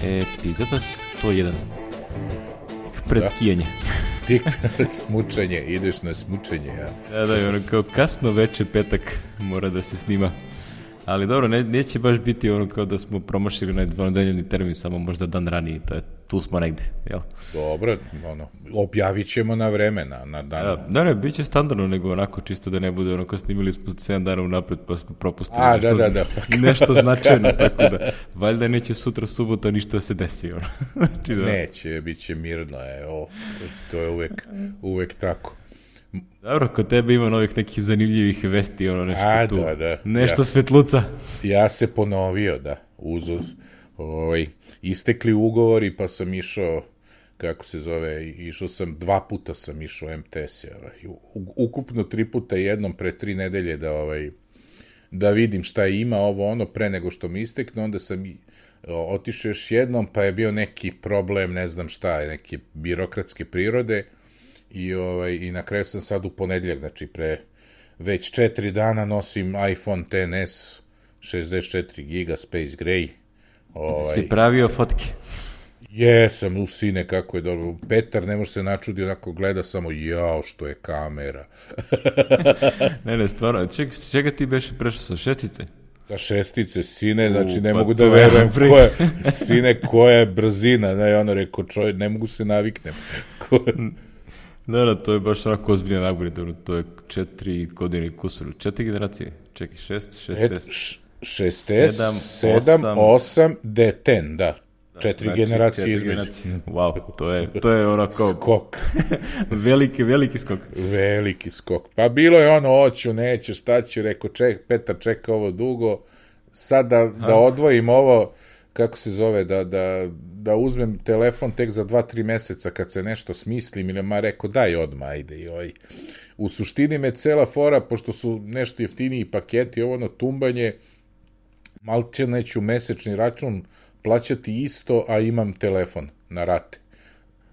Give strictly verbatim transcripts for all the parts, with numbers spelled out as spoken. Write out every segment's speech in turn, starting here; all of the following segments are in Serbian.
Epizoda sto jedan. Pred da. Skijanje. Tik smučenje, ideš na smučenje, ja. Da, da, ono kao kasno veče petak mora da se snima. Ali dobro, ne, neće baš biti ono kao da smo promašili na dvonedeljni termin, samo možda dan raniji, to je, tu smo negde, jel? Dobro, ono, objavit ćemo na vreme, na, na dan. Da, da, ne, bit će standardno, nego onako čisto da ne bude ono kao snimili smo sedam dana unapred pa smo propustili A, nešto, da, da, da. nešto značajno, tako da valjda neće sutra subota ništa da se desi, ono. Znači, da. Neće, bit će mirno, evo, to je uvek, uvek tako. Dobro, kod tebe ima novih nekih zanimljivih vesti, ono nešto A, tu, da, da. nešto ja, svetluca. Ja se ponovio, da, uz, ovaj, istekli ugovori, pa sam išao, kako se zove, išao sam, dva puta sam išao em te es, ovaj, ukupno tri puta jednom pre tri nedelje da, ovaj, da vidim šta ima ovo ono pre nego što mi istekne, onda sam otišao još jednom, pa je bio neki problem, ne znam šta, neke birokratske prirode, I, ovaj, i na kraju sam sad u ponedeljak, znači pre već četiri dana nosim iPhone X S šezdeset četiri giga Space Gray. Ovaj, si pravio fotke? Jesam, u sine, kako je dobro. Petar ne može se načudi, onako gleda samo, jao, što je kamera. ne, ne, stvarno, ček, čega ti beše prešao sa šestice? Sa šestice, sine, u, znači ne pa mogu da verujem ko je, sine, koja je brzina, ne, ono rekao, čovjek, ne mogu se naviknem. Da, da, to je baš onako ozbiljna nagorita, to je četiri godine kusur, četiri generacije, čekaj, šest, šest S, šest S, sedam, osam, D deset, da, četiri znači, generacije između. Wow, to je, to je onako... Skok. veliki, veliki skok. Veliki skok. Pa bilo je ono, oću, neće, šta ću, rekao, ček, Petar čeka ovo dugo, sad da, da odvojim ovo, kako se zove, da, da, da uzmem telefon tek za dva, tri meseca kad se nešto smislim, ili ma rekao, daj odmah, ajde. I oj. U suštini me cela fora, pošto su nešto jeftiniji paketi, ovo ono tumbanje, malče neću mesečni račun plaćati isto, a imam telefon na rate.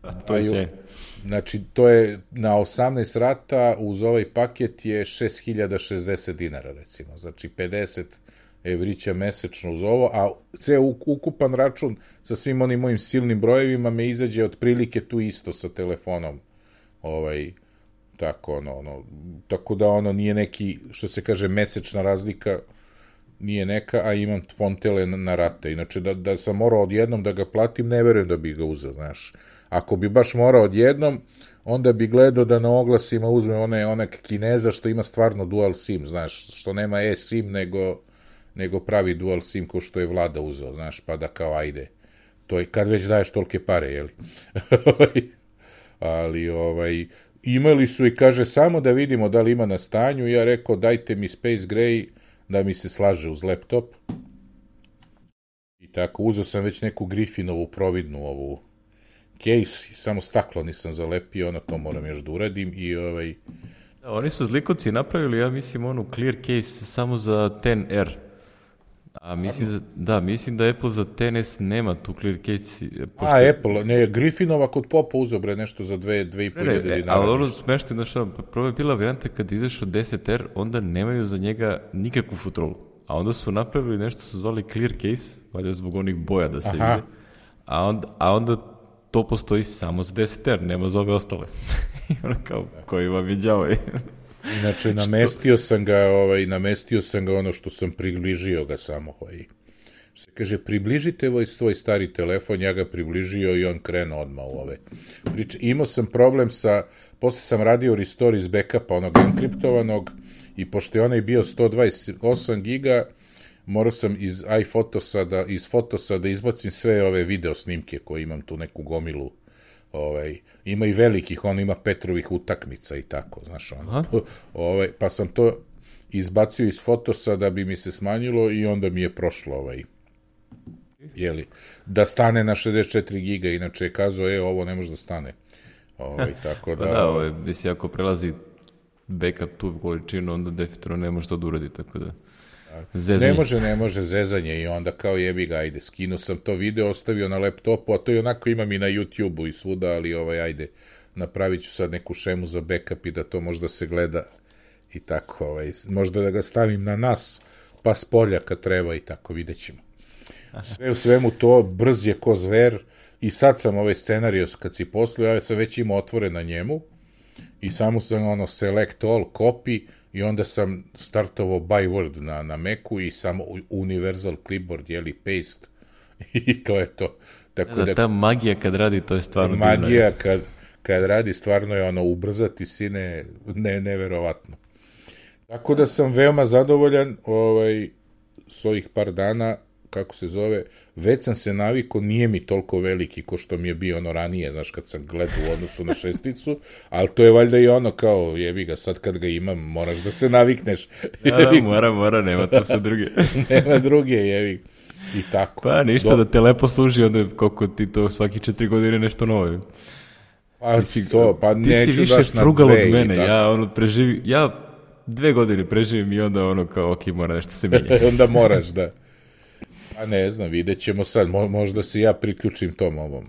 A to je sve. Znači, to je na osamnaest rata, uz ovaj paket je šest hiljada šezdeset dinara, recimo. Znači, pedeset evrića mesečno uz ovo, a ceo ukupan račun sa svim onim mojim silnim brojevima me izađe otprilike tu isto sa telefonom. Ovaj, tako, ono, ono, tako da ono nije neki, što se kaže, mesečna razlika, nije neka, a imam fontele na, na rate. Inače, da, da sam morao odjednom da ga platim, ne verujem da bi ga uzeo, znaš. Ako bi baš morao odjednom, onda bi gledao da na oglasima uzme one, onak Kineza što ima stvarno dual sim, znaš, što nema e-sim, nego nego pravi dual sim ko što je Vlada uzeo, znaš, pa da kao ajde. To je kad već daješ tolike pare, jeli? Ali, ovaj, imali su i kaže, samo da vidimo da li ima na stanju, ja rekao, dajte mi Space Gray da mi se slaže uz laptop. I tako, uzeo sam već neku Griffinovu providnu ovu case, samo staklo nisam zalepio, ono to moram još da uradim i ovaj... Da, oni su zlikovci napravili, ja mislim, onu clear case samo za X R. A mislim, da, mislim da Apple za X S nema tu clear case. Pošto... A, Apple, ne, Griffinova kod Popa uzobre nešto za dve, dve i pol hiljade dinara. Ali ono smešno, znaš, prvo je bila varijanta kad izašao deset R, onda nemaju za njega nikakvu futrolu. A onda su napravili nešto su zvali clear case, valjda zbog onih boja da se Aha. vide. A onda, a onda to postoji samo za deset R, nema za ove ostale. I ono kao, koji vam je đavo. Inače, namestio sam ga, ovaj, namestio sam ga ono što sam približio ga samo, ovaj. Se kaže, približite ovaj svoj stari telefon, ja ga približio i on krenuo odmah u ove. Priče, imao sam problem sa, posle sam radio restore iz backupa, onog enkriptovanog, i pošto je onaj bio sto dvadeset osam giga, morao sam iz iPhotosa da, iz Fotosa da izbacim sve ove video snimke koje imam tu neku gomilu. Ovaj, ima i velikih, on ima Petrovih utakmica i tako, znaš, ono. Ovaj, pa sam to izbacio iz Fotosa da bi mi se smanjilo i onda mi je prošlo ovaj, jeli, da stane na šezdeset četiri giga, inače je kazao, e, ovo ne može da stane. Ovaj, tako da... Pa da, ovaj, mislim, ako prelazi backup tu količinu, onda definitivno ne može to da uradi, tako da... Zezanje. Ne može, ne može, zezanje i onda kao jebi ga, ajde, skinuo sam to video, ostavio na laptopu, a to i onako imam i na YouTube-u i svuda, ali ovaj, ajde, napravit ću sad neku šemu za backup i da to možda se gleda i tako, ovaj, možda da ga stavim na nas, pa s polja kad treba i tako, vidjet ćemo. Sve u svemu to, brz je ko zver, i sad sam ovaj scenario, kad si poslao, ja sam već imao otvoren na njemu, i samo sam ono select all, copy, i onda sam startovao by word na, na Macu i samo universal clipboard, jeli, paste, i to je to. Tako da, da, ta magija kad radi, to je stvarno magija kad, kad radi, stvarno je ono, ubrzati sine, ne, neverovatno. Tako da sam veoma zadovoljan ovaj, s ovih par dana, kako se zove, već sam se navikao, nije mi toliko veliki ko što mi je bio ono ranije, znaš, kad sam gledao u odnosu na šesticu, ali to je valjda i ono kao, jebi ga, sad kad ga imam, moraš da se navikneš. Ja, da, mora, mora, nema tu sa druge. Nema druge, jebi. I tako. Pa ništa, Do... da te lepo služi, onda koliko ti to svaki četiri godine nešto novo. Pa, si, to, pa ti neću si više daš na frugal dve od mene, i tako. ja ono preživi, ja dve godine preživim i onda ono kao, ok, mora nešto se mijenja. Onda moraš, da. A ne znam, vidjet ćemo sad, Mo, možda se ja priključim tom ovom.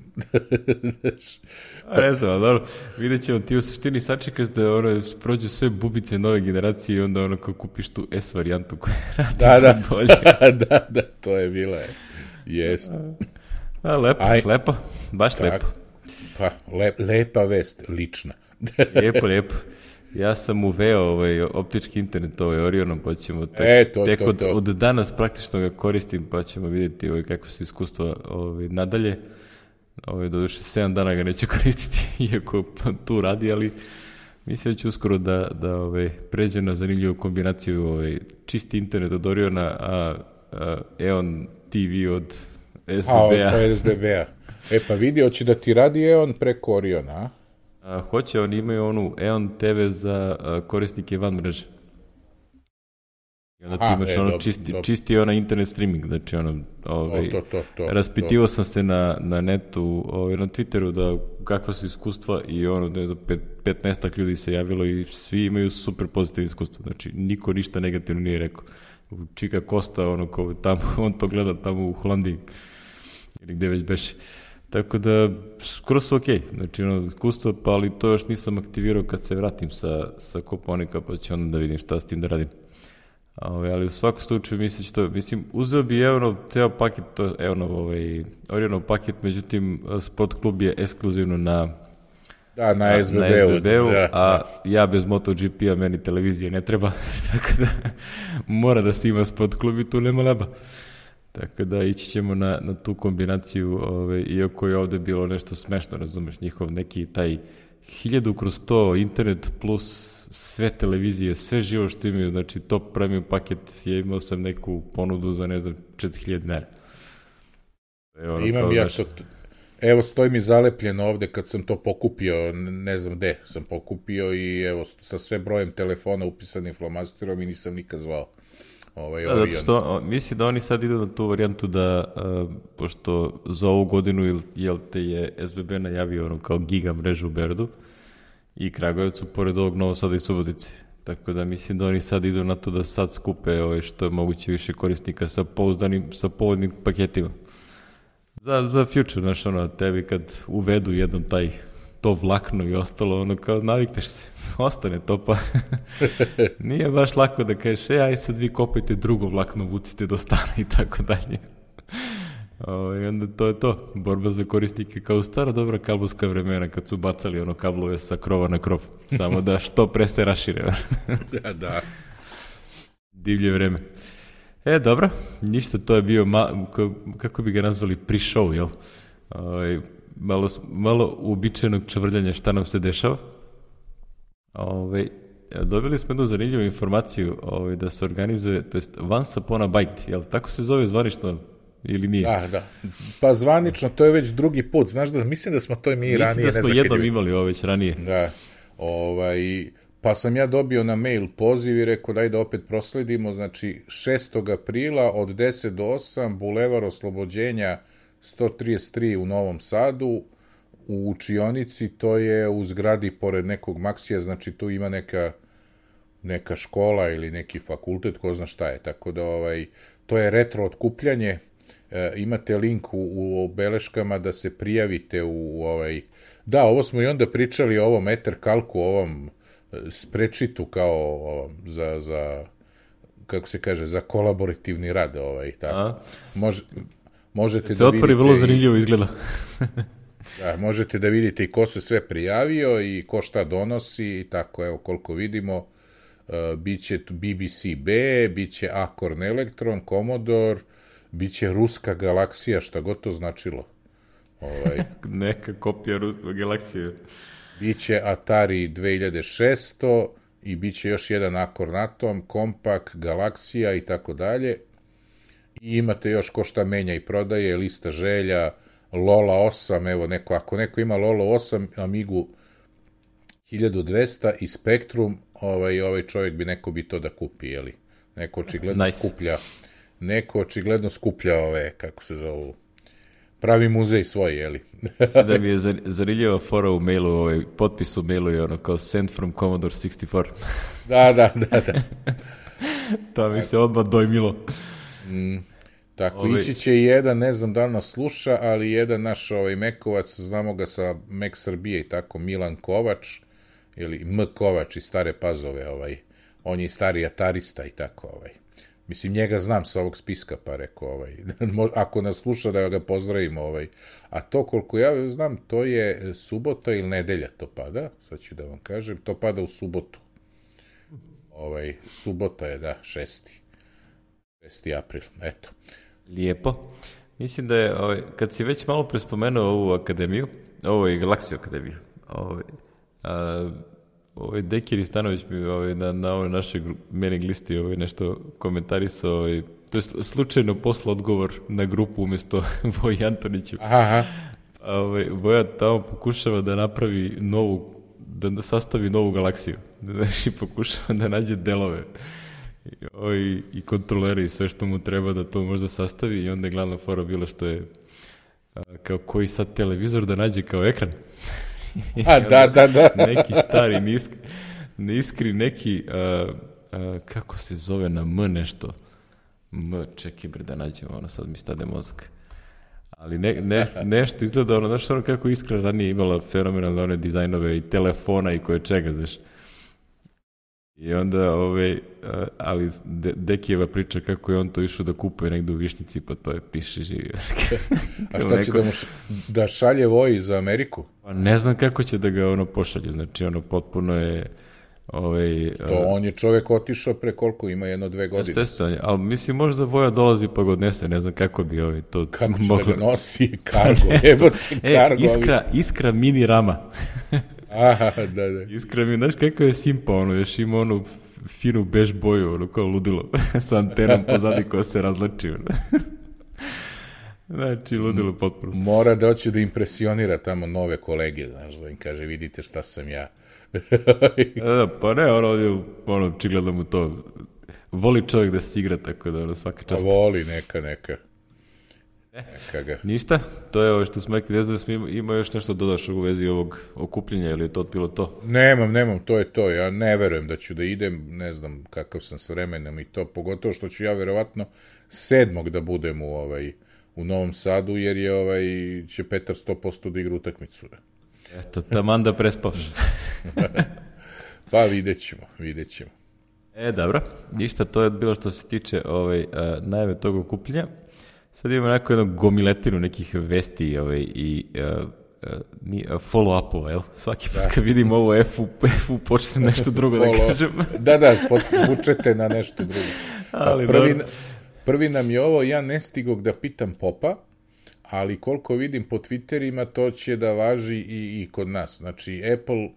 A ne znam, dobro, vidjet ćemo, ti u suštini sačekaš da ono, prođu sve bubice nove generacije i onda ono kao kupiš tu S varijantu koja radi da, da. bolje. da, da, to je bila, jest. A, lepo, Aj, lepo, baš tak, lepo. Pa, lep, lepa vest, lična. lijepo, lijepo. Ja sam uveo ovaj optički internet ovaj Orionom, pa ćemo tek, e, to, tek to, od, to. od danas praktično ga koristim, pa ćemo vidjeti ovaj, kako su iskustva ovaj, nadalje. Ovaj, doduše sedam dana ga neću koristiti, iako tu radi, ali mislim da ću uskoro da, da ovaj, pređe na zanimljivu kombinaciju ovaj, čisti internet od Oriona, a, a Eon T V od S B B-a. A, od S B B-a. E pa vidi, hoće da ti radi Eon preko Oriona, a? A, hoće, oni imaju onu Eon T V za a, korisnike van mreže. I onda ti imaš e, ono dob, čisti, dob. čisti ona internet streaming, znači ono, ovaj, to, to, to, raspitivao sam se na, na netu, ovaj, na Twitteru da kakva su iskustva i ono, da je do pet, petnaestak ljudi se javilo i svi imaju super pozitivne iskustva, znači niko ništa negativno nije rekao. Čika Kosta, ono, ko tamo, on to gleda tamo u Holandiji, ili gde već beše. Tako da, skoro su okej, okay. Znači, ono, iskustvo, pa ali to još nisam aktivirao kad se vratim sa, sa Koponika, pa ću onda da vidim šta s tim da radim. Ove, ali u svakom slučaju mislim što, mislim, uzeo bi Eonov ceo paket, to Eonov, ovaj, Orionov paket, međutim, Sport klub je ekskluzivno na da, na S B B-u, na S B B-u da, a ja bez MotoGP-a meni televizije ne treba, tako da mora da se ima Sport klub i tu nema leba. Tako da ići ćemo na, na tu kombinaciju, ove, iako je ovde bilo nešto smešno, razumeš, njihov neki taj hiljadu kroz to internet plus sve televizije, sve živo što imaju, znači top premium paket, je imao sam neku ponudu za, ne znam, četiri hiljade dinara. Ono, imam ja naš... to, evo stoji mi zalepljeno ovde kad sam to pokupio, ne znam gde sam pokupio i evo sa sve brojem telefona upisanim flomasterom i nisam nikad zvao. Ovaj, da, zato što misli da oni sad idu na tu varijantu da, uh, pošto za ovu godinu jel te je S B B najavio ono kao giga mrežu u Beogradu i Kragujevcu, pored ovog Novog Sada i Subotice. Tako da mislim da oni sad idu na to da sad skupe ovaj, što je moguće više korisnika sa pouzdanim, sa povoljnim paketima. Za, za future, znaš, ono, tebi kad uvedu jednom taj to vlakno i ostalo, ono, kao navikneš se, ostane to, pa nije baš lako da kažeš, e, aj sad vi kopajte drugo vlakno, vucite do stana i tako dalje. O, i onda to je to, borba za korisnike kao stara dobra kablovska vremena kad su bacali ono kablove sa krova na krov, samo da što pre se rašire. Ja, da. Divlje vreme. E, dobro, ništa, to je bio, ma, kako bi ga nazvali, pre-show, jel? O, malo, malo uobičajenog čvrljanja šta nam se dešava. Ove, dobili smo jednu zanimljivu informaciju ove, da se organizuje, to jest Once Upon a Bite, jel tako se zove zvanično ili nije? Da, da. Pa zvanično, to je već drugi put, znaš da, mislim da smo to i mi mislim ranije. Mislim da smo jednom imali ovo već ranije. Da, ovaj, pa sam ja dobio na mail poziv i rekao daj da opet prosledimo, znači šestog aprila od deset do osam, Bulevar Oslobođenja sto trideset tri u Novom Sadu, u učionici, to je u zgradi pored nekog Maksija, znači tu ima neka, neka škola ili neki fakultet, ko zna šta je, tako da ovaj, to je retro otkupljanje, e, imate link u, u beleškama da se prijavite u ovaj, da, ovo smo i onda pričali o ovom Ethercalcu, ovom sprečitu kao ovom, za, za, kako se kaže, za kolaborativni rad, ovaj, tako. Može, možete se da otvori, vidite... vrlo zanimljivo izgleda. Da, možete da vidite i ko se sve prijavio i ko šta donosi i tako, evo, koliko vidimo, uh, biće B B C B, biće Acorn Electron, Commodore, biće Ruska galaksija, šta god to značilo. Ovaj, neka kopija galaksije. Biće Atari dve hiljade šesto i biće još jedan Acorn Atom, Compaq, Galaksija i tako dalje. I imate još ko šta menja i prodaje, lista želja, Lola osam, evo neko, ako neko ima Lola osam, Amigu hiljadu dvesta i Spectrum, ovaj, ovaj čovjek bi, neko bi to da kupi, jeli? Neko očigledno nice. skuplja, neko očigledno skuplja ove, kako se zovu, pravi muzej svoj, jeli? Sada mi je zanimljiva fora u mailu, ovaj, potpis u mailu je ono kao send from Commodore šezdeset četiri. Da, da, da, da. To mi se odmah dojmilo. Mm, tako, Ove... ići će i jedan, ne znam da li nas sluša, ali jedan naš ovaj, Mekovac, znamo ga sa Mek Srbije i tako, Milan Kovač, ili M. Kovač iz Stare Pazove, ovaj, on je i stari atarista i tako, ovaj. Mislim, njega znam sa ovog spiska, pa rekao, ovaj, ako nas sluša da ga pozdravimo, ovaj. A to, koliko ja znam, to je subota ili nedelja to pada, sad ću da vam kažem, to pada u subotu. Ovaj, subota je, da, šesti. šesti april, eto. Lijepo. Mislim da je, ovaj, kad si već malo prespomenuo ovu akademiju, ovo je Galaksiju akademiju, ovaj, a, ovaj Dekir Istanović mi ovaj, na, na ovoj našoj mailing listi ovaj, nešto komentarisao, ovaj, to je slučajno posla odgovor na grupu umjesto Voji Antoniću. Aha. Ovaj, Voja tamo pokušava da napravi novu, da sastavi novu galaksiju. Znači, pokušava da nađe delove i, i kontrolere i sve što mu treba da to možda sastavi i onda je glavna fora bila što je a, kao koji sad televizor da nađe kao ekran. A, da, da, da. Neki stari, niskri, niskri neki, a, a, kako se zove na M nešto. M, čekaj bre da nađemo, ono sad mi stade mozak. Ali ne, ne, nešto izgleda ono, znaš ono kako Iskra ranije imala fenomenalne one dizajnove i telefona i koje čega, znaš. I onda, ove, ali De, Dekijeva priča kako je on to išao da kupuje negdje u Višnjici, pa to je piše živi. A šta će da mu š, da šalje Voji za Ameriku? Pa ne znam kako će da ga ono pošalje, znači ono potpuno je... Ovaj, to uh, on je čovjek otišao pre koliko ima, jedno dve godine. Jeste, ali mislim možda Voja dolazi pa ga odnese, ne znam kako bi ovaj to... Kako će moglo... da ga nosi, kargo, jebote, e, kargo. Iskra, iskra mini rama. Aha, da, da. Iskra mi, znaš kako je simpa, ono, još ima onu finu bež boju, ono, kao ludilo, sa antenom pozadi koja se razlači, ono. Znači, ludilo potpuno. Mora doći da impresionira tamo nove kolege, znaš, da im kaže, vidite šta sam ja. da, pa ne, ono, ono, čigledno mu to, voli čovjek da se igra, tako da, ono, svaka čast. A voli, neka, neka. Neka ga. Ništa, to je ovo što smo rekli, ne znam da smo ima, ima još nešto dodaš u vezi ovog okupljenja, ili je to bilo to? Nemam, nemam, to je to, ja ne verujem da ću da idem, ne znam kakav sam s vremenom i to, pogotovo što ću ja verovatno sedmog da budem u, ovaj, u Novom Sadu, jer je, ovaj, će Petar sto posto da igra utakmicu. Eto, taman da prespavš. Pa vidjet ćemo, vidjet ćemo. E, dobro, ništa, to je bilo što se tiče ovaj, uh, najave tog okupljenja. Sad imamo neko jednu gomiletinu nekih vesti ovaj, i uh, uh, follow-upova, jel? Svaki put kad vidim ovo F-u, F-u počne nešto drugo da kažem. da, da, vučete na nešto drugo. Ali, prvi, prvi nam je ovo, ja ne stigog da pitam Popa, ali koliko vidim po Twitterima, to će da važi i, i kod nas. Znači, Apple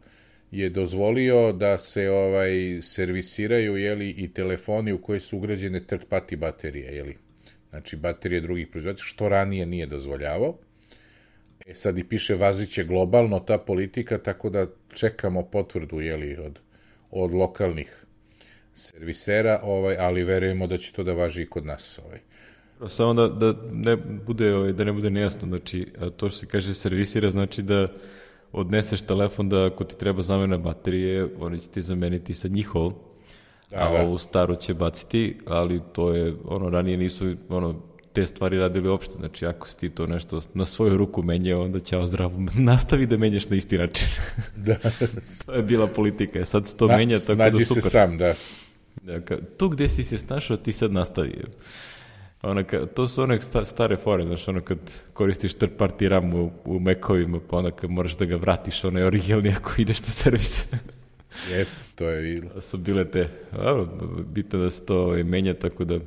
je dozvolio da se ovaj servisiraju, jeli, i telefoni u koje su ugrađene third party baterije, jeli. Znači, baterije drugih proizvođača, što ranije nije dozvoljavao. E sad i piše vaziće globalno ta politika, tako da čekamo potvrdu, jeli, od, od lokalnih servisera, ovaj, ali verujemo da će to da važi i kod nas, ovaj. Samo da, da ne bude, ovaj, da ne bude nejasno, znači, to što se kaže servisira, znači da odneseš telefon da ako ti treba zamena baterije, oni će ti zameniti sa njihovom, da, a da. Ovu staru će baciti, ali to je, ono, ranije nisu, ono, te stvari radili uopšte, znači ako si ti to nešto na svoju ruku menjao, onda ćao zdravo, nastavi da menjaš na isti način. Da. To je bila politika, sad se to na, menja, tako da super. Snađi se sam, da. Dakle, tu gde si se snašao, ti sad nastavi. Ono, to su one sta, stare fore, znaš, ono kad koristiš third party RAM u, u Mac-ovima, pa onda kad moraš da ga vratiš, ono je originalni ako ideš na servis. Jeste, to je bilo. Su bile te, a, bitno da se to ove, menja, tako da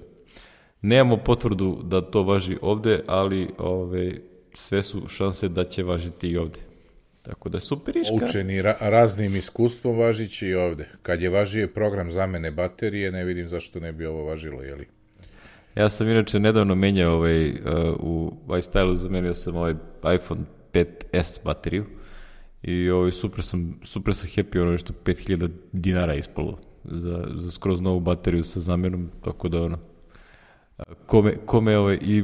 nemamo potvrdu da to važi ovde, ali ove, sve su šanse da će važiti i ovde. Tako da super iška. Učeni ra raznim iskustvom važići i ovde. Kad je važio program zamene baterije, ne vidim zašto ne bi ovo važilo, jeli? Ja sam inače nedavno menjao ovaj, uh, u iStylu, zamenio sam ovaj iPhone pet es bateriju i ovaj, super sam, super sam happy, ono što pet hiljada dinara ispalo za, za skroz novu bateriju sa zamenom, tako da ono, kome, kome ovaj, i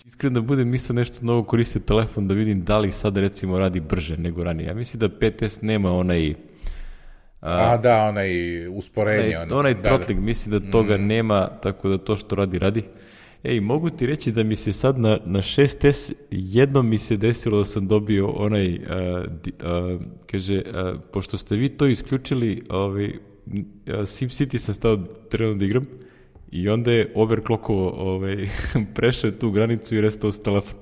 iskreno da budem, nisam nešto novo koristio telefon da vidim da li sad recimo radi brže nego ranije. Ja mislim da pet es nema onaj A, a da, onaj usporenje. Onaj, onaj da, throttling, da. mislim da toga mm. nema, tako da to što radi, radi. Ej, mogu ti reći da mi se sad na, na šest es jednom mi se desilo da sam dobio onaj, uh, di, uh, kaže, uh, pošto ste vi to isključili, ovaj, uh, SimCity sam stao trenutno da igram i onda je overclockovo ovaj, prešao tu granicu i restao s telefon.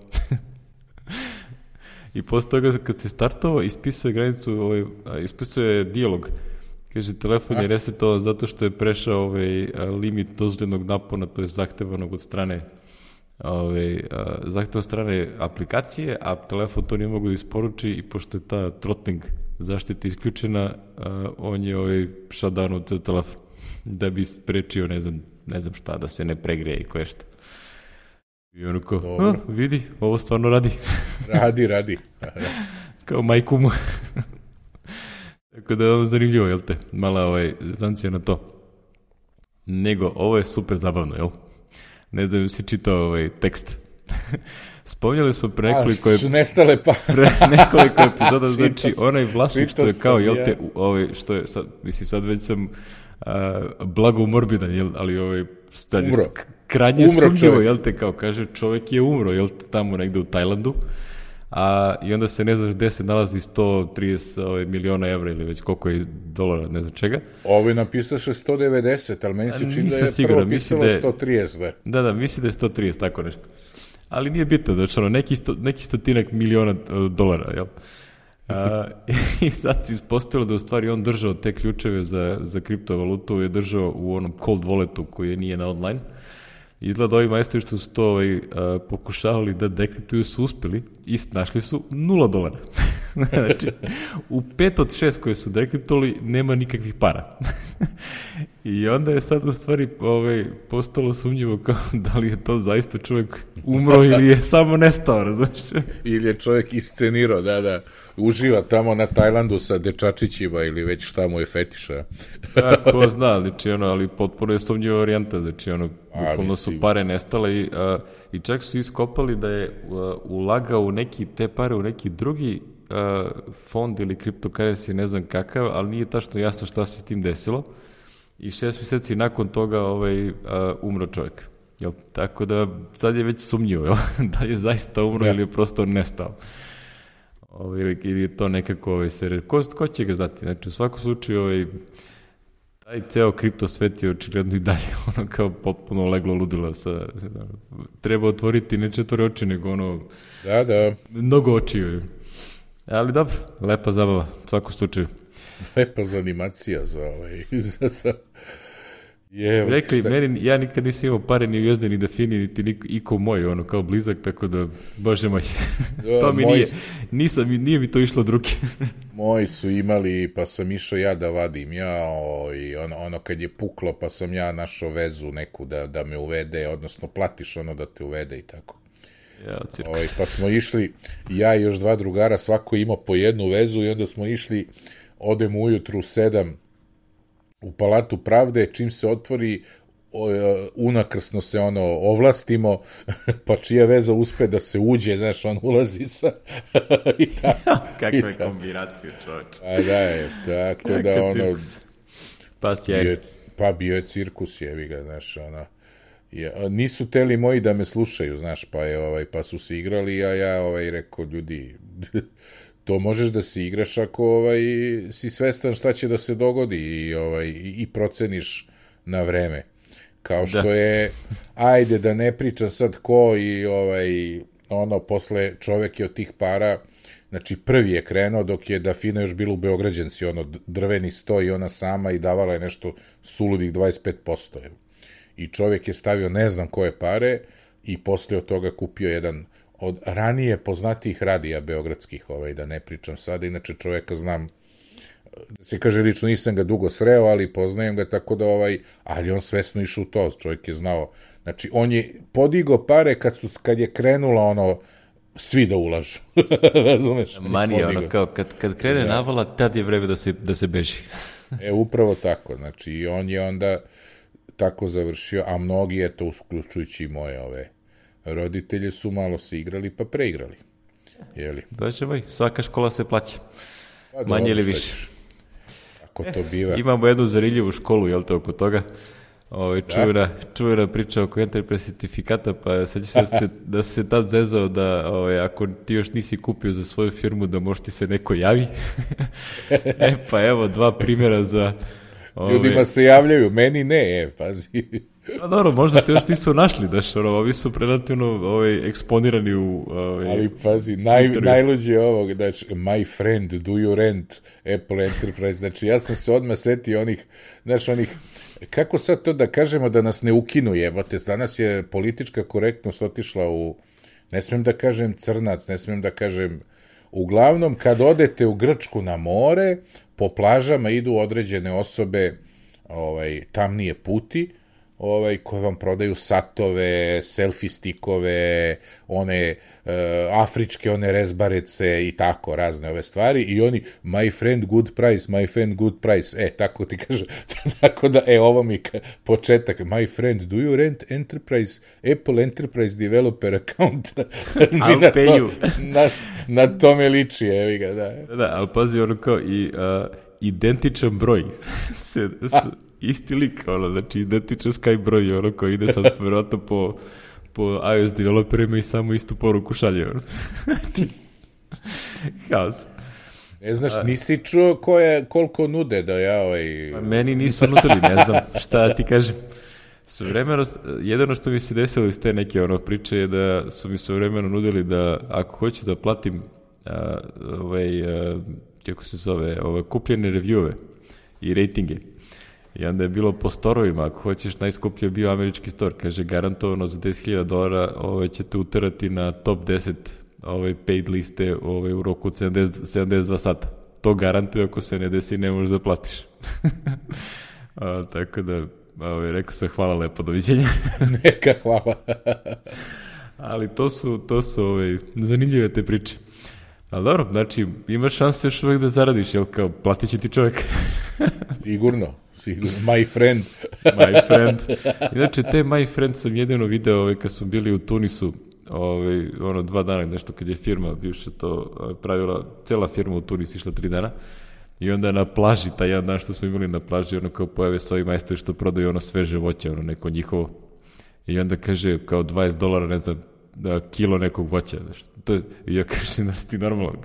I posle toga kad se startovao, ispisao je granicu, ovaj, ispisao je dijalog. Kaže, telefon je resetovan zato što je prešao ovaj, limit dozvoljenog napona, to je zahtevanog od strane ovaj, zahtevanog od strane aplikacije, a telefon to nije mogu da isporuči i pošto je ta throttling zaštita isključena, on je ovaj, shutdown od telefon da bi sprečio, ne znam, ne znam šta, da se ne pregreje i koje šta. I ono kao, a, vidi, ovo stvarno radi. Radi, radi. Kao majku mu. Tako da je ono zanimljivo, jel te? Mala ovaj, zancija na to. Nego, ovo je super zabavno, jel? Ne znam, si čitao ovaj tekst. Spominjali smo pre nekoliko... A, su nestale pa... pre nekoliko epizoda, znači, onaj vlasnik što je kao, jel te, ovaj, što je, sad, misli, sad već sam uh, blago morbidan, jel, ali ovaj, stadi, umro. Krajnje sumnjivo, jel te, kao kaže, čovjek je umro, jel te, tamo negde u Tajlandu, a i onda se ne znaš gde se nalazi sto trideset ovaj, miliona evra ili već koliko je dolara, ne znam čega. Ovo je napisaše sto devedeset, ali meni se čini da je sigurno, prvo pisalo da je, sto trideset. Da, da, da, misli da je sto trideset, tako nešto. Ali nije bitno, znači ono, neki, sto, neki stotinak miliona uh, dolara, jel? A, i sad se ispostavilo da u stvari on držao te ključeve za, za kriptovalutu, je držao u onom cold walletu koji nije na online. Izgleda ovi majstori što su to ovaj, uh, pokušavali da dekriptuju su uspeli i našli su nula dolara. Znači, u pet od šest koje su dekriptovali nema nikakvih para. I onda je sad u stvari ovaj, postalo sumnjivo kao da li je to zaista čovjek umro ili je samo nestao, razumiješ? Ili je čovjek iscenirao, da, da, uživa tamo na Tajlandu sa dečačićima ili već šta mu je fetiša. Ja, ko zna, znači ono, ali potpuno je sumnjiva varijanta, znači ono, bukvalno su pare nestale i, a, i čak su iskopali da je a, ulagao u neki, te pare u neki drugi a, fond ili kriptokarenci, ne znam kakav, ali nije tačno jasno šta se s tim desilo. I šest mjeseci nakon toga ovaj, a, umro čovjek. Jel? Tako da sad je već sumnjivo, jel? Da je zaista umro ja. Ili je prosto nestao. Ovaj, ili, ili je to nekako ovaj, se... Ko, ko će ga znati? Znači, u svakom slučaju ovaj, taj ceo kripto svet je očigledno i dalje ono kao potpuno leglo ludilo. Sa, da, treba otvoriti ne četvore oči, nego ono... Da, da. Mnogo očiju. Ali dobro, lepa zabava, u svakom slučaju. Lepa za animacija za ovaj... za, za... Je, rekli, meni, ja nikad nisam imao pare ni u Jezde, ni da Fini, niti niko, iko moj, ono, kao blizak, tako da, bože moj, da, to mi nije, nisam, nije mi to išlo od ruke. Moji su imali, pa sam išao ja da vadim, ja, o, i ono, ono kad je puklo, pa sam ja našao vezu neku da, da me uvede, odnosno platiš ono da te uvede i tako. Ja, o, pa smo išli, ja i još dva drugara, svako imao po jednu vezu i onda smo išli, odemo ujutru u sedam, u Palatu pravde, čim se otvori, unakrsno se ono ovlastimo, pa čija veza uspe da se uđe, znaš, on ulazi sa... I ta, kakva je kombinacija, čovječ. A da je, tako Kaka da ono... Cirkus. Pa sjaj. Pa bio je cirkus, jevi ga, znaš, ono... Ja, nisu teli moji da me slušaju, znaš, pa, je, ovaj, pa su se igrali, a ja ovaj, rekao, ljudi... To možeš da se igraš ako ovaj, si svestan šta će da se dogodi i, ovaj, i proceniš na vreme. Kao što da. je, ajde da ne pričam sad ko i ovaj, ono, posle čovek je od tih para, znači prvi je krenuo dok je Dafina još bila u Beograđanci, ono, drveni sto i ona sama i davala je nešto suludih dvadeset pet posto. I čovjek je stavio ne znam koje pare i posle od toga kupio jedan od ranije poznatijih radija beogradskih, ovaj, da ne pričam sada, inače čovjeka znam, da se kaže lično, nisam ga dugo sreo, ali poznajem ga, tako da ovaj, ali on svesno išao u to, čovjek je znao, znači on je podigao pare kad, su, kad je krenula ono, svi da ulažu, razumeš? Manija, ono, kao, kad, kad krene da. navala, tad je vreme da se, da se beži. E, upravo tako, znači, i on je onda tako završio, a mnogi, eto, uključujući i moje ove roditelje, su malo se igrali, pa preigrali. Jeli? Bože moj, svaka škola se plaća. Pa, manje ili više. Ako to biva. E, imamo jednu zariljivu školu, jel te, oko toga? Ove, čuvena, da? čuvena priča oko Enterprise certifikata, pa sad ćeš da se, da se tad zezao da ove, ako ti još nisi kupio za svoju firmu, da možda ti se neko javi. E, pa evo, dva primjera za... Ove... Ljudima se javljaju, meni ne, e, pazi. A dobro, možda te još nisu našli, daš, ono, ovi su relativno ovaj, eksponirani u... Ovaj, ali pazi, naj, najluđi je ovog, znači, my friend, do you rent Apple Enterprise, znači, ja sam se odmah setio onih, znaš, onih, kako sad to da kažemo da nas ne ukinu, jebote, danas je politička korektnost otišla u, ne smem da kažem crnac, ne smem da kažem, uglavnom, kad odete u Grčku na more, po plažama idu određene osobe, ovaj, tamnije puti, ovaj, koje vam prodaju satove, selfie stikove, one uh, afričke, one rezbarece i tako, razne ove stvari, i oni, my friend good price, my friend good price, e, tako ti kaže, tako da, e, ovo mi početak, my friend, do you rent Enterprise, Apple Enterprise Developer account? I'll na pay to, you. Na, na tome liči, evi ga, da. Da, ali pazi, ono kao, i uh, identičan broj se... se isti lik, ono, znači identičan Skype broj, ono, koji ide sad vjerojatno po, po iOS developerima i samo istu poruku šalje, ono. Znači, haos. Ne znaš, nisi čuo ko je, koliko nude da ja ovaj... Meni nisu nudili, ne znam šta ti kažem. Svevremeno, jedino što mi se desilo iz te neke ono priče je da su mi svevremeno nudili da ako hoću da platim a, ovaj, a, kako se zove, ove kupljene reviewove i rejtinge. I onda je bilo po storovima, ako hoćeš, najskuplji je bio američki store, kaže garantovano za deset hiljada dolara ovaj, ćete uterati na top deset ovaj, paid liste ovaj, u roku od sedamdeset, sedamdeset dva sata. To garantuje, ako se ne desi, ne možeš da platiš. A, tako da, ovaj, rekao sam hvala lepo, doviđenja. Neka hvala. Ali to su, to su ovaj, zanimljive te priče. Ali dobro, znači, imaš šanse još uvek da zaradiš, jel kao, platit će ti čovjek. Sigurno. My friend. My friend. Inače, te my friend sam jedino video ovaj, kad smo bili u Tunisu, ovaj, ono dva dana, nešto kad je firma bivše to pravila, cela firma u Tunis išla tri dana, i onda na plaži, taj jedan dan što smo imali na plaži, ono kao pojave s ovi majstori što prodaju ono sveže voće, ono neko njihovo, i onda kaže kao dvadeset dolara, ne znam, da, kilo nekog voća. To je, i ja kažem, da si ti normalno.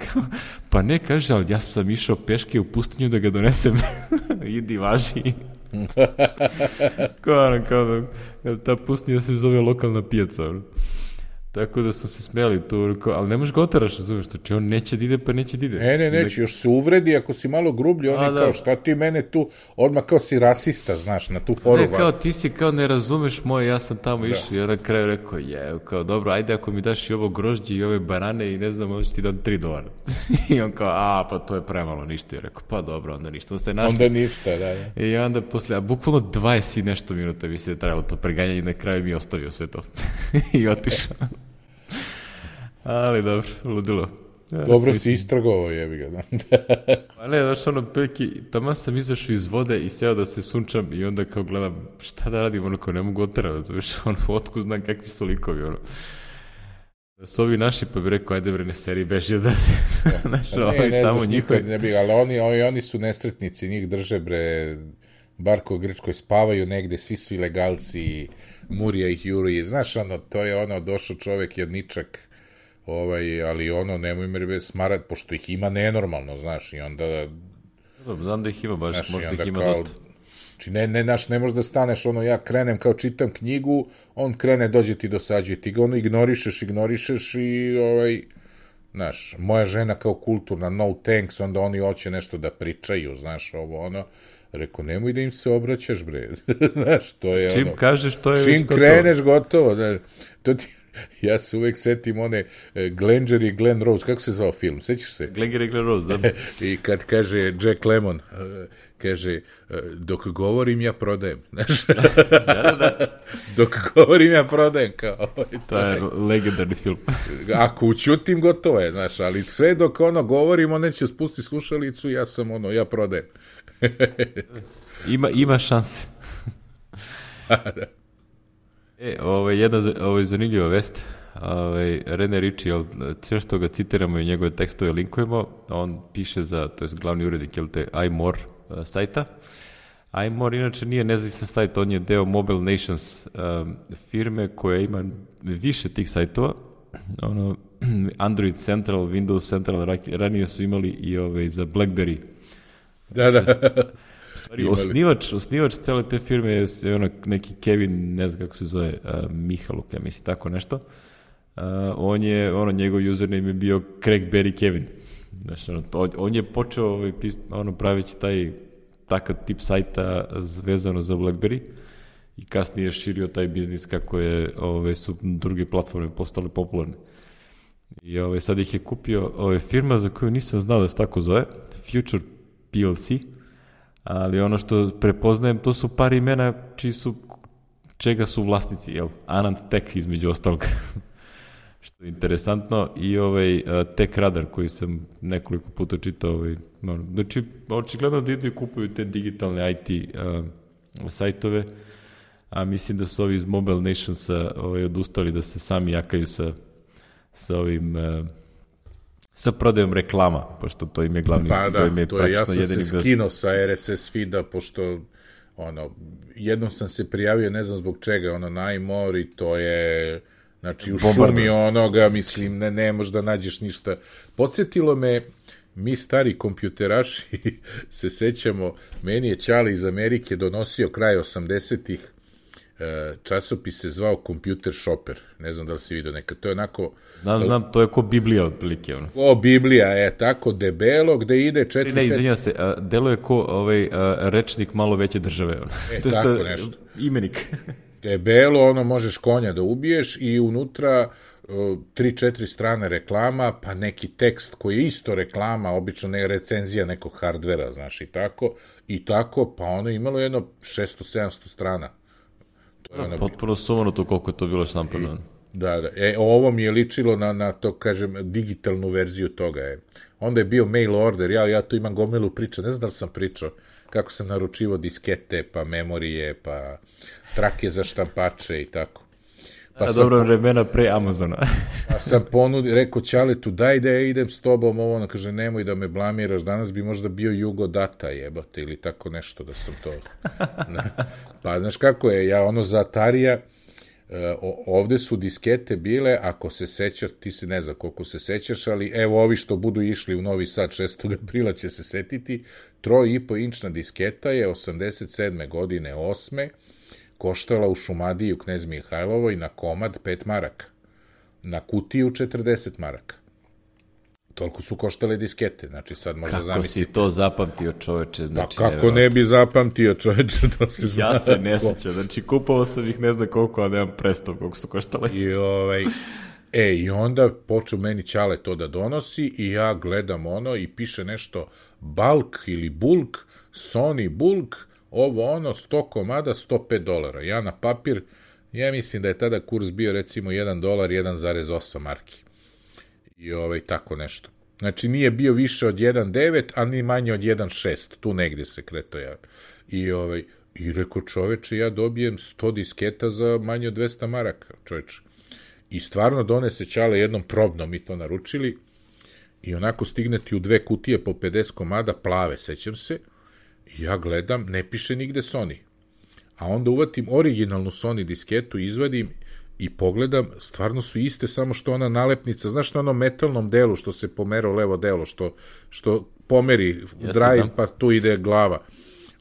Pa ne, kaže, ali ja sam išao peške u pustinju da ga donesem. Idi, važi. Kao, ono, kao da, ta pustinja se zove lokalna pijaca. Ono. Tako da smo se smijali tu, ali ne možeš ga otaraš, razumiješ, znači on neće da ide, pa neće da ide. Ne, ne, neće, još se uvredi, ako si malo grublji, on je kao, šta ti mene tu, odmah kao si rasista, znaš, na tu foru. Ne, kao ti si, kao ne razumeš moje, ja sam tamo išao, i on na kraju rekao, je, kao, dobro, ajde ako mi daš i ovo grožđe i ove banane i ne znam, onda ću ti dam tri dolara. I on kao, a, pa to je premalo, ništa. I rekao, pa dobro, onda ništa. Onda, se našli. Onda ništa, da, da. I onda posle, a bukvalno dvadeset i nešto minuta mi se trajalo to preganjanje i na kraju mi ostavio sve to. I otišao. Ali dobro, ludilo. Ja, dobro si istragovao, jebi ga. Da. A ne, znaš, ono, peki, tamo sam izašao iz vode i seo da se sunčam i onda kao gledam, šta da radim, ono, kao ne mogu otrati, znaš, ono, otku znam kakvi su likovi, ono. Da su ovi naši, pa bi rekao, ajde bre, ne seri, beži da se, znaš, ne, ovi ne, tamo njihovi. Ne bi, ali oni, oni, oni su nesretnici, njih drže, bre, Barko u Grčkoj, spavaju negde, svi su ilegalci, Murija ih juri, znaš, ono, to je ono, došao čovek jedničak, ovaj, ali ono, nemoj me smarat, pošto ih ima nenormalno, znaš, i onda... Znam da ih ima baš, znaš, možda ih ima kao, dosta. Znači, ne, ne, naš, ne možeš da staneš, ono, ja krenem kao čitam knjigu, on krene, dođe ti dosađuje, ti ga ono ignorišeš, ignorišeš i, ovaj, znaš, moja žena kao kulturna, no thanks, onda oni hoće nešto da pričaju, znaš, ovo, ono, rekao, nemoj da im se obraćaš, bre, znaš, to je čim ono... kažeš, to je čim kreneš, gotovo, znaš, to ti... Ja se uvek setim one Glenger i Glen Rose, kako se zvao film, sećaš se? Glenger i Glen Rose, da. I kad kaže Jack Lemmon, kaže, dok govorim ja prodajem, znaš? Da, da, da. Dok govorim ja prodajem, kao... To je legendarni film. Ako učutim, gotovo je, znaš, ali sve dok ono govorim, on neće spusti slušalicu, ja sam ono, ja prodajem. Ima, ima šanse. Da. E, ovo je jedna ovo je zanimljiva vest. Ovaj Rene Ritchie, sve što ga citiramo i njegove tekstove linkujemo, on piše za, to je glavni urednik, jel te, iMore uh, sajta. iMore inače nije nezavisan sajt, on je deo Mobile Nations um, firme koja ima više tih sajtova. Ono, Android Central, Windows Central, ranije su imali i ovaj za BlackBerry. Da, da. Stvari, osnivač, osnivač cele te firme je ono, neki Kevin, ne znam kako se zove, uh, Mihaluk, ja mislim, tako nešto. Uh, on je, ono, njegov username je bio Craigberry Kevin. Znaš, ono, on, on je počeo ovaj, pis, ono, pravići taj takav tip sajta vezano za BlackBerry i kasnije je širio taj biznis kako je, ove, su druge platforme postale popularne. I ove, sad ih je kupio ove, firma za koju nisam znao da se tako zove, Future P L C, ali ono što prepoznajem, to su par imena čiji su, čega su vlasnici, jel? Anand Tech između ostalog, što je interesantno, i ovaj uh, Tech Radar koji sam nekoliko puta čitao, ovaj, ono, znači, očigledno da idu i kupuju te digitalne I T uh, sajtove, a mislim da su ovi iz Mobile Nationsa ovaj, odustali da se sami jakaju sa, sa ovim... Uh, sa prodajom reklama, pošto to im je glavni... Pa da, to, im je to je, ja sam se skinuo sa R S S feeda, pošto ono, jednom sam se prijavio, ne znam zbog čega, ono, na iMore i to je, znači, u šumi onoga, mislim, ne, ne možeš da nađeš ništa. Podsjetilo me, mi stari kompjuteraši se sećamo, meni je Ćale iz Amerike donosio kraj osamdesetih časopis se zvao Computer Shopper, ne znam da li si vidio nekad, to je onako... Znam, znam, to je ko Biblija otprilike. Ono. O, Biblija je tako debelo, gde ide četiri... Ne, izvinjam se, a, delo je ko ovaj, a, rečnik malo veće države. Ono. E, to je tako sta, nešto. Imenik. Debelo, ono, možeš konja da ubiješ i unutra tri, četiri strane reklama, pa neki tekst koji je isto reklama, obično ne recenzija nekog hardvera, znaš, i tako, i tako, pa ono imalo jedno šesto sedamsto strana. Da, potpuno sumano to koliko je to bilo štampano. Da, da. E, ovo mi je ličilo na, na to, kažem, digitalnu verziju toga. Je. Onda je bio mail order, ja, ja tu imam gomilu priča, ne znam da li sam pričao, kako sam naručivo diskete, pa memorije, pa trake za štampače i tako. Pa A dobro vremena pre Amazona. Pa sam ponudio, rekao Ćaletu, daj da ja idem s tobom, ovo, ono, kaže, nemoj da me blamiraš, danas bi možda bio Jugo Data, jebate, ili tako nešto da sam to... Pa, znaš kako je, ja ono za Atarija, ovde su diskete bile, ako se sećaš, ti se ne znam koliko se sećaš, ali evo ovi što budu išli u Novi Sad šestog aprila će se setiti, troj i po inčna disketa je osamdeset sedme godine, osme, koštala u Šumadiji u Knez Mihajlovoj na komad pet maraka, na kutiju četrdeset maraka. Toliko su koštale diskete, znači sad možda kako zamisliti. Kako si to zapamtio, čoveče? Znači, pa kako ne bi zapamtio, čoveče, to se zna. Ja se ne sećam, znači kupovao sam ih ne znam koliko, a nemam predstav koliko su koštale. I ovaj... E, i onda počeo meni Ćale to da donosi i ja gledam ono i piše nešto bulk ili bulk, Sony bulk, ovo ono, sto komada, sto pet dolara. Ja na papir, ja mislim da je tada kurs bio recimo jedan dolar, jedan zarez osam marki. I ovaj, tako nešto. Znači nije bio više od jedan zarez devet, a ni manje od jedan zarez šest. Tu negdje se kreto ja. I, ovaj, i rekao čoveče, ja dobijem sto disketa za manje od dvesta maraka, čoveče. I stvarno donese Ćale jednom probnom, mi to naručili, i onako stigne ti u dve kutije po pedeset komada, plave, sećam se, i ja gledam, ne piše nigde Sony. A onda uvatim originalnu Sony disketu, izvadim i pogledam, stvarno su iste, samo što ona nalepnica, znaš na onom metalnom delu što se pomera u levo delo, što, što pomeri drive, pa tu ide glava.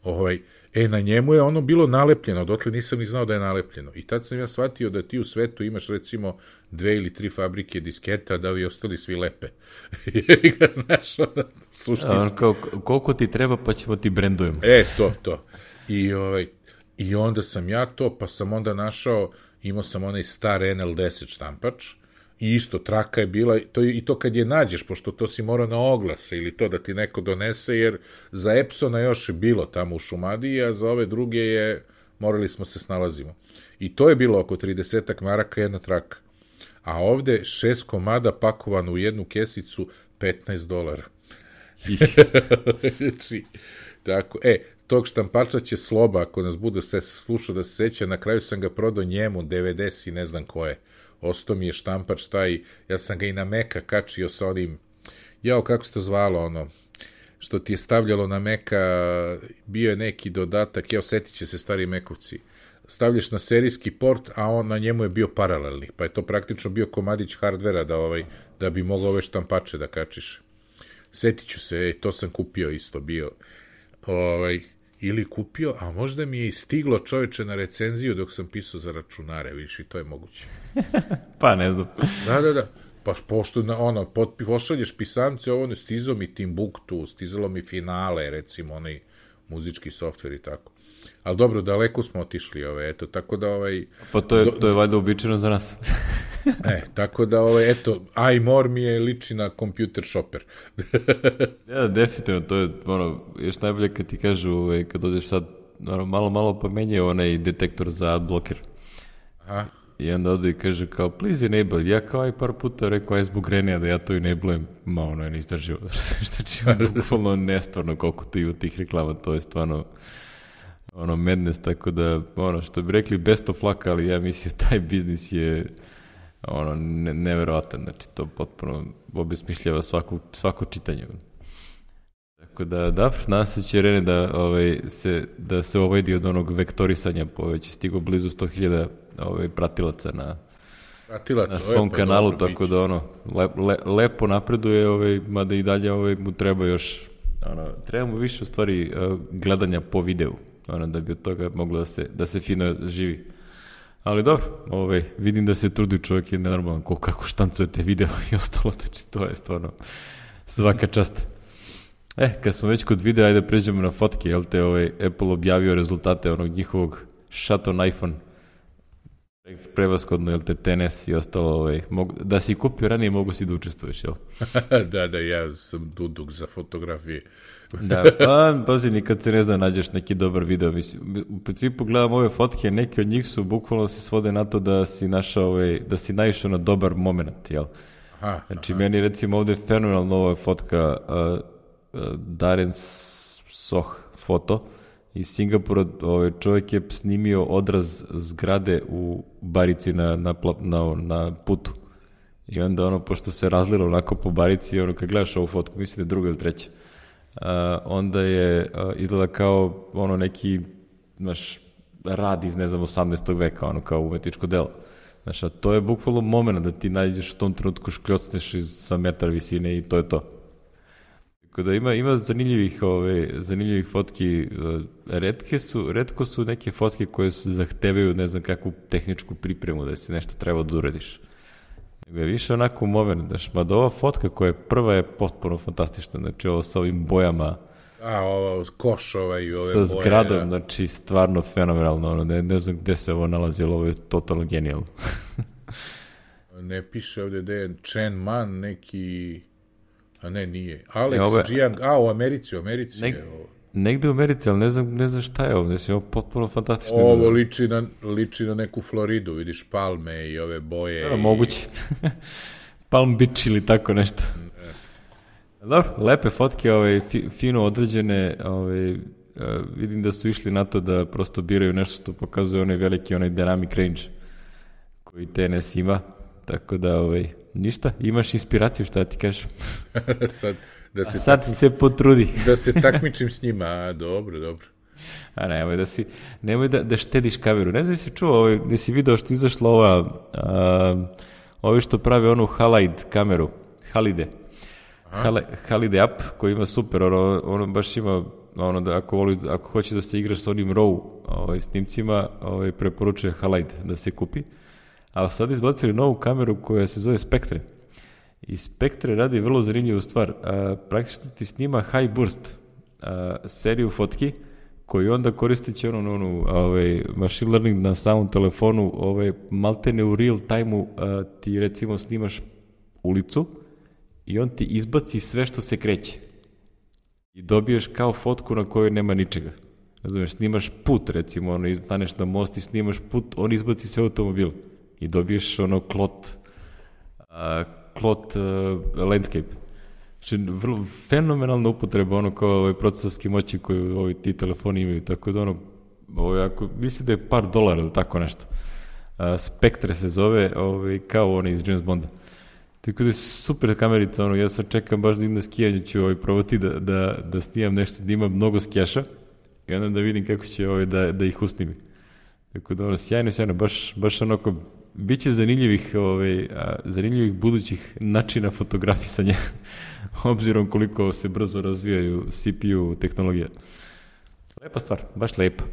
Ovaj, E, na njemu je ono bilo nalepljeno, dotle nisam ni znao da je nalepljeno. I tad sam ja shvatio da ti u svetu imaš recimo dve ili tri fabrike disketa, da ovi ostali svi lepe. I ga znaš, onda, suštinski. Kao, koliko ti treba, pa ćemo ti brendujemo. E, to, to. I, ovaj, I onda sam ja to, pa sam onda našao, imao sam onaj star en el deset štampač, i isto traka je bila, to, i to kad je nađeš, pošto to si morao na oglase ili to da ti neko donese, jer za Epsona još je bilo tamo u Šumadiji, a za ove druge je, morali smo se snalazimo. I to je bilo oko tridesetak maraka jedna traka. A ovde šest komada pakovano u jednu kesicu, petnaest dolara. Znači, tako, e, tog štampača će Sloba, ako nas bude se slušao da se seća, na kraju sam ga prodao njemu, devedeset i ne znam ko je. Ostao mi je štampač taj, ja sam ga i na Meka kačio sa onim, jao, kako se to zvalo, ono, što ti je stavljalo na Meka, bio je neki dodatak, jao, setit će se stari Mekovci, stavljaš na serijski port, a on na njemu je bio paralelni, pa je to praktično bio komadić hardvera da, ovaj, da bi mogao ove štampače da kačiš. Setit ću se, ej, to sam kupio isto, bio, ovaj, ili kupio, a možda mi je i stiglo čoveče na recenziju dok sam pisao za računare, vidiš, i to je moguće. Pa ne znam. Da, da, da. Pa pošto na, ono, potpi, pošalješ pisance, ovo ne stizalo mi Timbuktu, stizalo mi Finale, recimo, onaj muzički softver i tako. Ali dobro, daleko smo otišli, ove, eto, tako da, ovaj... Pa to je, do, to je valjda uobičajeno za nas. E, tako da, ovaj, eto, iMore mi je liči na computer shopper. Ja, definitivno, to je, ono, još najbolje kad ti kažu, ovaj, kad dođeš sad, ono, malo, malo pomenje onaj detektor za adblocker. Aha. I onda odu i kaže kao, please enable. Ja kao i par puta rekao, aj zbog Renija da ja to enablujem. Ma, ono je neizdrživo. Što će bukvalno nestvarno koliko tu ima tih reklama, to je stvarno ono madness, tako da, ono, što bi rekli best of luck, ali ja mislim taj biznis je ono, ne, neverovatan, znači to potpuno obesmišljava svako, svako čitanje. Tako da, da, nadam se će Rene da, ovaj, se, da se ovajdi od onog vektorisanja, po već je stigo blizu sto hiljada ovaj, pratilaca na, Pratilac, na svom pa kanalu, dobro, tako da ono, le, le, lepo napreduje, ovaj, mada i dalje ovaj, mu treba još, ono, treba mu više u stvari gledanja po videu, ono, da bi od toga moglo da se, da se fino živi. Ali dobro, ovaj, vidim da se trudi čovjek, je nenormalan ko, kako štancujete video i ostalo, znači to je stvarno svaka čast. E, kad smo već kod videa, ajde pređemo na fotke, jel te ovaj Apple objavio rezultate onog njihovog shot on iPhone, prevaskodno, jel te, T N S i ostalo, ovaj, mogu, da si kupio ranije, mogu si da učestvuješ, jel? Da, da, ja sam duduk za fotografije. Da, pa, pazi, nikad se ne zna, nađeš neki dobar video, mislim, u principu gledam ove fotke, neki od njih su bukvalno se svode na to da si našao, ovaj, da si naišao na dobar moment, jel? Aha, znači, aha. meni recimo ovde je fenomenalna ova fotka, uh, Darren Soh foto iz Singapura, ovaj čovjek je snimio odraz zgrade u Barici na, na, na, na putu i onda ono, pošto se razlilo onako po Barici, ono, kad gledaš ovu fotku, mislim da je druga ili treća, uh, onda je uh, izgleda kao ono neki, znaš, rad iz, ne znam, osamnaestog veka, ono, kao umetničko delo. Znaš, a to je bukvalno moment da ti nađeš u tom trenutku, škljocneš iz, sa metar visine i to je to. Tako da ima, ima zanimljivih, ove, zanimljivih fotki, retke su, retko su neke fotke koje se zahtevaju, ne znam, kakvu tehničku pripremu, da si nešto treba da uradiš. Nego je više onako moment, daš, mada ova fotka koja je prva je potpuno fantastična, znači ovo sa ovim bojama, a, ovo, koš ovaj i ove sa boje. Sa zgradom, da. Znači, stvarno fenomenalno, ono, ne, ne znam gde se ovo nalazi, ali ovo je totalno genijalno. Ne piše ovde da je Chen Man neki... A ne, nije. Alex e, ove, Jiang, a, u Americi, u Americi neg, je ovo. Negde u Americi, ali ne znam, ne znam šta je ovo, znači ovo potpuno fantastično. Ovo liči na, liči na neku Floridu, vidiš palme i ove boje. Da, i... moguće. Palm Beach ili tako nešto. Ne. Dobro, lepe fotke, ovaj, fi, fino određene, ovaj, uh, vidim da su išli na to da prosto biraju nešto što pokazuje onaj veliki, onaj dynamic range koji T N S ima, tako da, ovaj, ništa, imaš inspiraciju, šta ti kažeš? sad, da se A sad takmi... se potrudi. da se takmičim s njima, a, dobro, dobro. A nemoj da si, nemoj da, da štediš kameru. Ne znam da si čuo, ovaj, da si video što izašla ova, a, ovi što prave onu Halide kameru, Halide. Hale, Halide app koji ima super, ono, ono baš ima ono da ako, voli, ako hoće da se igraš sa onim RAW ovaj, snimcima, ovaj, preporučuje Halide da se kupi. Ali sad izbacili novu kameru koja se zove Spectre. I Spectre radi vrlo zanimljivu stvar. A, praktično ti snima high burst a, seriju fotki koji onda koristeći ono, ono, ovaj, machine learning na samom telefonu, ovaj, maltene u real time-u a, ti recimo snimaš ulicu i on ti izbaci sve što se kreće. I dobiješ kao fotku na kojoj nema ničega. Razumeš, snimaš put, recimo, ono, staneš na most i snimaš put, on izbaci sve automobil. I dobiješ ono klot, uh, klot uh, landscape. Znači, vrlo fenomenalna upotreba, ono, kao ovaj procesorski moći koju ovi ti telefoni imaju, tako da ono, ovaj, ako, mislim da je par dolara ili tako nešto. Uh, Spectre se zove, ovaj, kao ono iz James Bonda. Tako da je super kamerica, ono, ja sad čekam baš da idem na skijanje, ću ovaj, probati da, da, da snimam nešto, da imam mnogo skijaša i onda da vidim kako će ovaj, da, da ih usnimi. Tako da ono, sjajno, sjajno, baš, baš onako, bit će zanimljivih, ovaj, a, zanimljivih budućih načina fotografisanja, obzirom koliko se brzo razvijaju C P U tehnologije. Lepa stvar, baš lepa.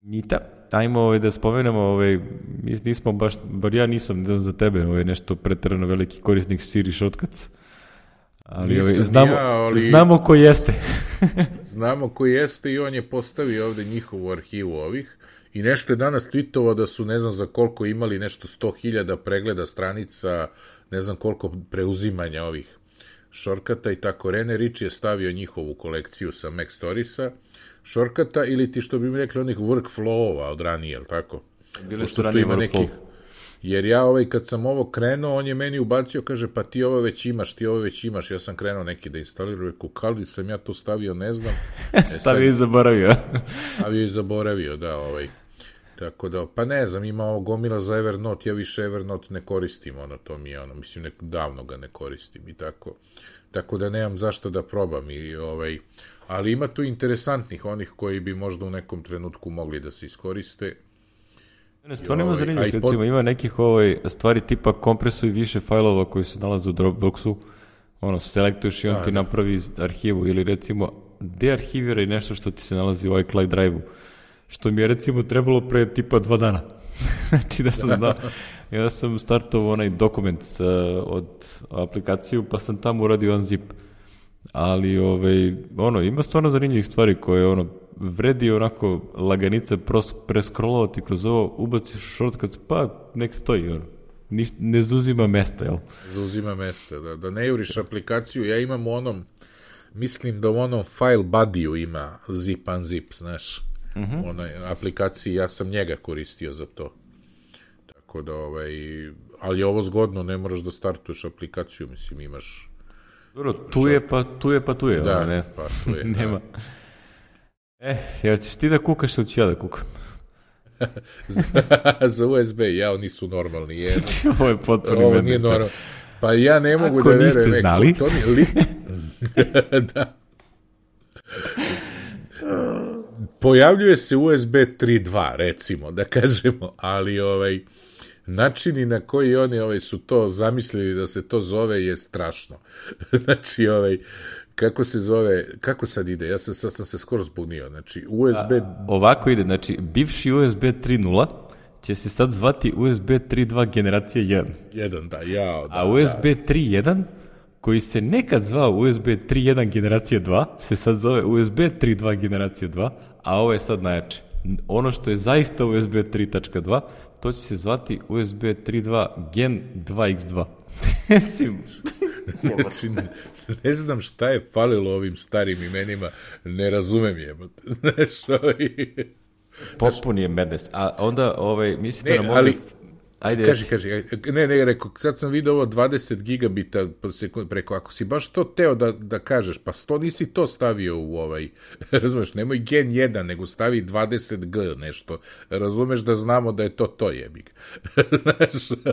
Nita, ajmo ovaj, da spomenemo, ovaj, mi nismo baš, bar ja nisam, ne znam za tebe, ovaj, nešto preterano veliki korisnik Siri Shortcuts, ali ovaj, znamo, ja, ali... znamo ko jeste. Znamo ko jeste i on je postavio ovde njihovu arhivu ovih i nešto je danas tweetovao da su ne znam za koliko imali nešto sto hiljada pregleda stranica, ne znam koliko preuzimanja ovih shortcuta i tako. Rene Ritchie je stavio njihovu kolekciju sa Mac Storiesa, shortcuta ili ti što bi mi rekli onih workflow-ova od ranije, jel tako? Bile su ranije workflow. Nekih, jer ja ovaj, kad sam ovo krenuo, on je meni ubacio, kaže, pa ti ovo već imaš, ti ovo već imaš, ja sam krenuo neki da instaliram, rekao, kada sam ja to stavio, ne znam. E, stavio i zaboravio. Stavio i zaboravio, da, ovaj. Tako da, pa ne znam, ima ovo gomila za Evernote, ja više Evernote ne koristim, ono, to mi je ono, mislim, nek, davno ga ne koristim i tako. Tako da nemam zašto da probam i ovaj, ali ima tu interesantnih onih koji bi možda u nekom trenutku mogli da se iskoriste. Stvarno ima zanimljivih, recimo ima nekih ovaj, stvari tipa kompresuj više fajlova koji se nalaze u Dropboxu, ono, selektuješ i on da, ti napravi arhivu ili recimo dearhiviraj nešto što ti se nalazi u iCloud Drive-u, što mi je recimo trebalo pre tipa dva dana. Znači da sam znao, ja sam startovao onaj dokument uh, od aplikaciju pa sam tamo uradio unzip. Ali ovaj, ono, ima stvarno zanimljivih stvari koje ono, vredi onako laganica preskrolovati kroz ovo, ubaciš shortcuts, pa nek stoji, ono. Niš, ne zuzima mesta, jel? Zuzima mesta, da, da ne juriš aplikaciju, ja imam u onom, mislim da u onom file buddy-u ima zip unzip, znaš, uh-huh. onaj aplikaciji, ja sam njega koristio za to. Tako da, ovaj, ali je ovo zgodno, ne moraš da startuješ aplikaciju, mislim, imaš... Dobro, tu je pa tu je pa tu je, da, ne? Pa tu je, nema. E, jel ćeš ti da kukaš ili ću ja da kukam? za, za U S B, ja, oni su normalni. Je, ovo je potpuno ovo nije normalno. Pa ja ne mogu ako da verujem. Ako niste znali. To mi, li... da. Pojavljuje se U S B tri dva, recimo, da kažemo, ali ovaj... načini na koji oni ovaj, su to zamislili da se to zove je strašno. Znači, ovaj, kako se zove, kako sad ide? Ja sam, sad sam se skoro zbunio. Znači, U S B... A, ovako ide, znači, bivši U S B tri nula će se sad zvati U S B tri dva generacija jedan. jedan, da, jao. Da, a U S B tri jedan, koji se nekad zvao U S B tri jedan generacija dva, se sad zove U S B tri dva generacija dva, a ovo je sad najjače. Ono što je zaista U S B tri tačka dva, to će se zvati U S B tri dva Gen dva iks dva. Znači, ne, ne znam šta je falilo ovim starim imenima, ne razumem je. Znaš, ovaj... Potpun je madness. A onda, ovaj, mislite ne, na mobil... Ali... Ajde, kaži, kaži, ne, ne, rekao, sad sam vidio ovo dvadeset gigabita preko, ako si baš to teo da, da kažeš, pa sto nisi to stavio u ovaj, razumeš, nemoj gen jedan, nego stavi dvadeset G nešto, razumeš da znamo da je to to jebik.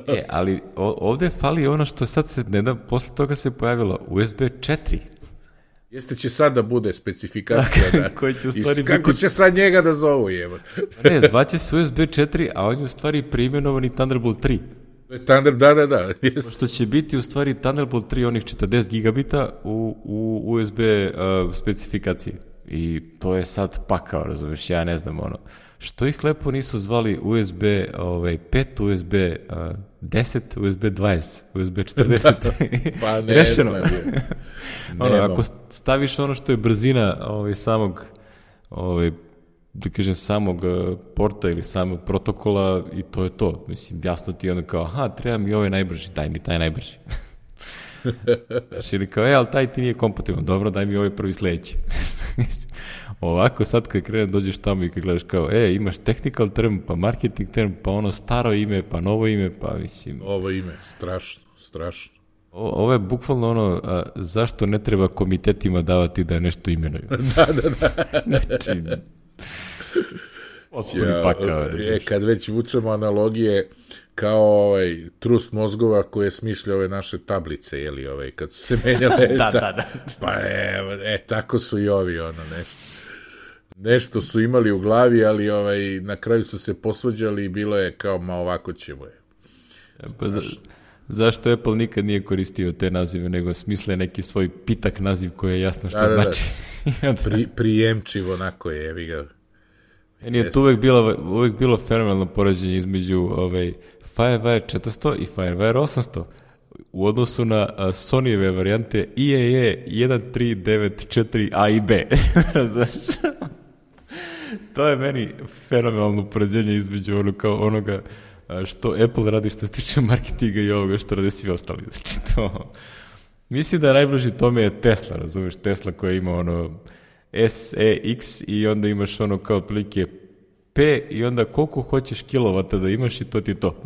E, ali ovde fali ono što sad se, ne da, posle toga se pojavilo U S B četiri. Jeste će sad da bude specifikacija, da. Koji će u stvari I kako biti... će sad njega da zovu, jeba? Ne, zvaće se U S B četiri, a on je u stvari preimenovani Thunderbolt tri. Thunder, da, da, da. Što će biti u stvari Thunderbolt tri onih četrdeset gigabita u, u U S B uh, specifikaciji. I to je sad pakao, razumiješ, ja ne znam ono. Što ih lepo nisu zvali U S B ovaj, pet, U S B uh, deset, U S B dvadeset, U S B četrdeset. Pa ne znam. Ono, ako staviš ono što je brzina ovaj, samog ovaj, da kažem, samog porta ili samog protokola i to je to. Mislim, jasno ti je ono kao, aha, treba mi ovaj najbrži, daj mi taj najbrži. Ili kao, e, ali taj ti nije kompatibilan, dobro, daj mi ovaj prvi sledeći. Ovako sad kad krenem dođeš tamo i kad gledaš kao, e, imaš technical term, pa marketing term, pa ono staro ime, pa novo ime, pa mislim... Ovo ime, strašno, strašno. O, ovo je bukvalno ono, a, zašto ne treba komitetima davati da nešto imenuju. Da, da, da. Znači, ja, pakao, je, kad već vučemo analogije kao ovaj trust mozgova koje smišlja ove naše tablice, jeli, ovaj, kad su se menjale. da, da, da. Pa e, e, tako su i ovi, ono, nešto. Nešto su imali u glavi, ali ovaj, na kraju su se posvađali i bilo je kao, ma ovako ćemo je. Pa za, zašto Apple nikad nije koristio te nazive, nego smisle neki svoj pitak naziv koji je jasno što da, da, znači. Da. Pri, prijemčivo, onako je, evi ga. Meni je tu uvek bilo, uvek bilo fenomenalno poređenje između ovaj, Firewire četiristo i Firewire osamsto u odnosu na uh, Sonyjeve varijante I A E jedan tri devet četiri A i B. To je meni fenomenalno poređenje između ono, kao onoga što Apple radi što se tiče marketinga i ovoga što rade svi ostali. Znači to... Mislim da najbliži tome je Tesla, razumiješ, Tesla koja ima ono S E X i onda imaš ono kao otprilike P i onda koliko hoćeš kilovata da imaš i to ti je to.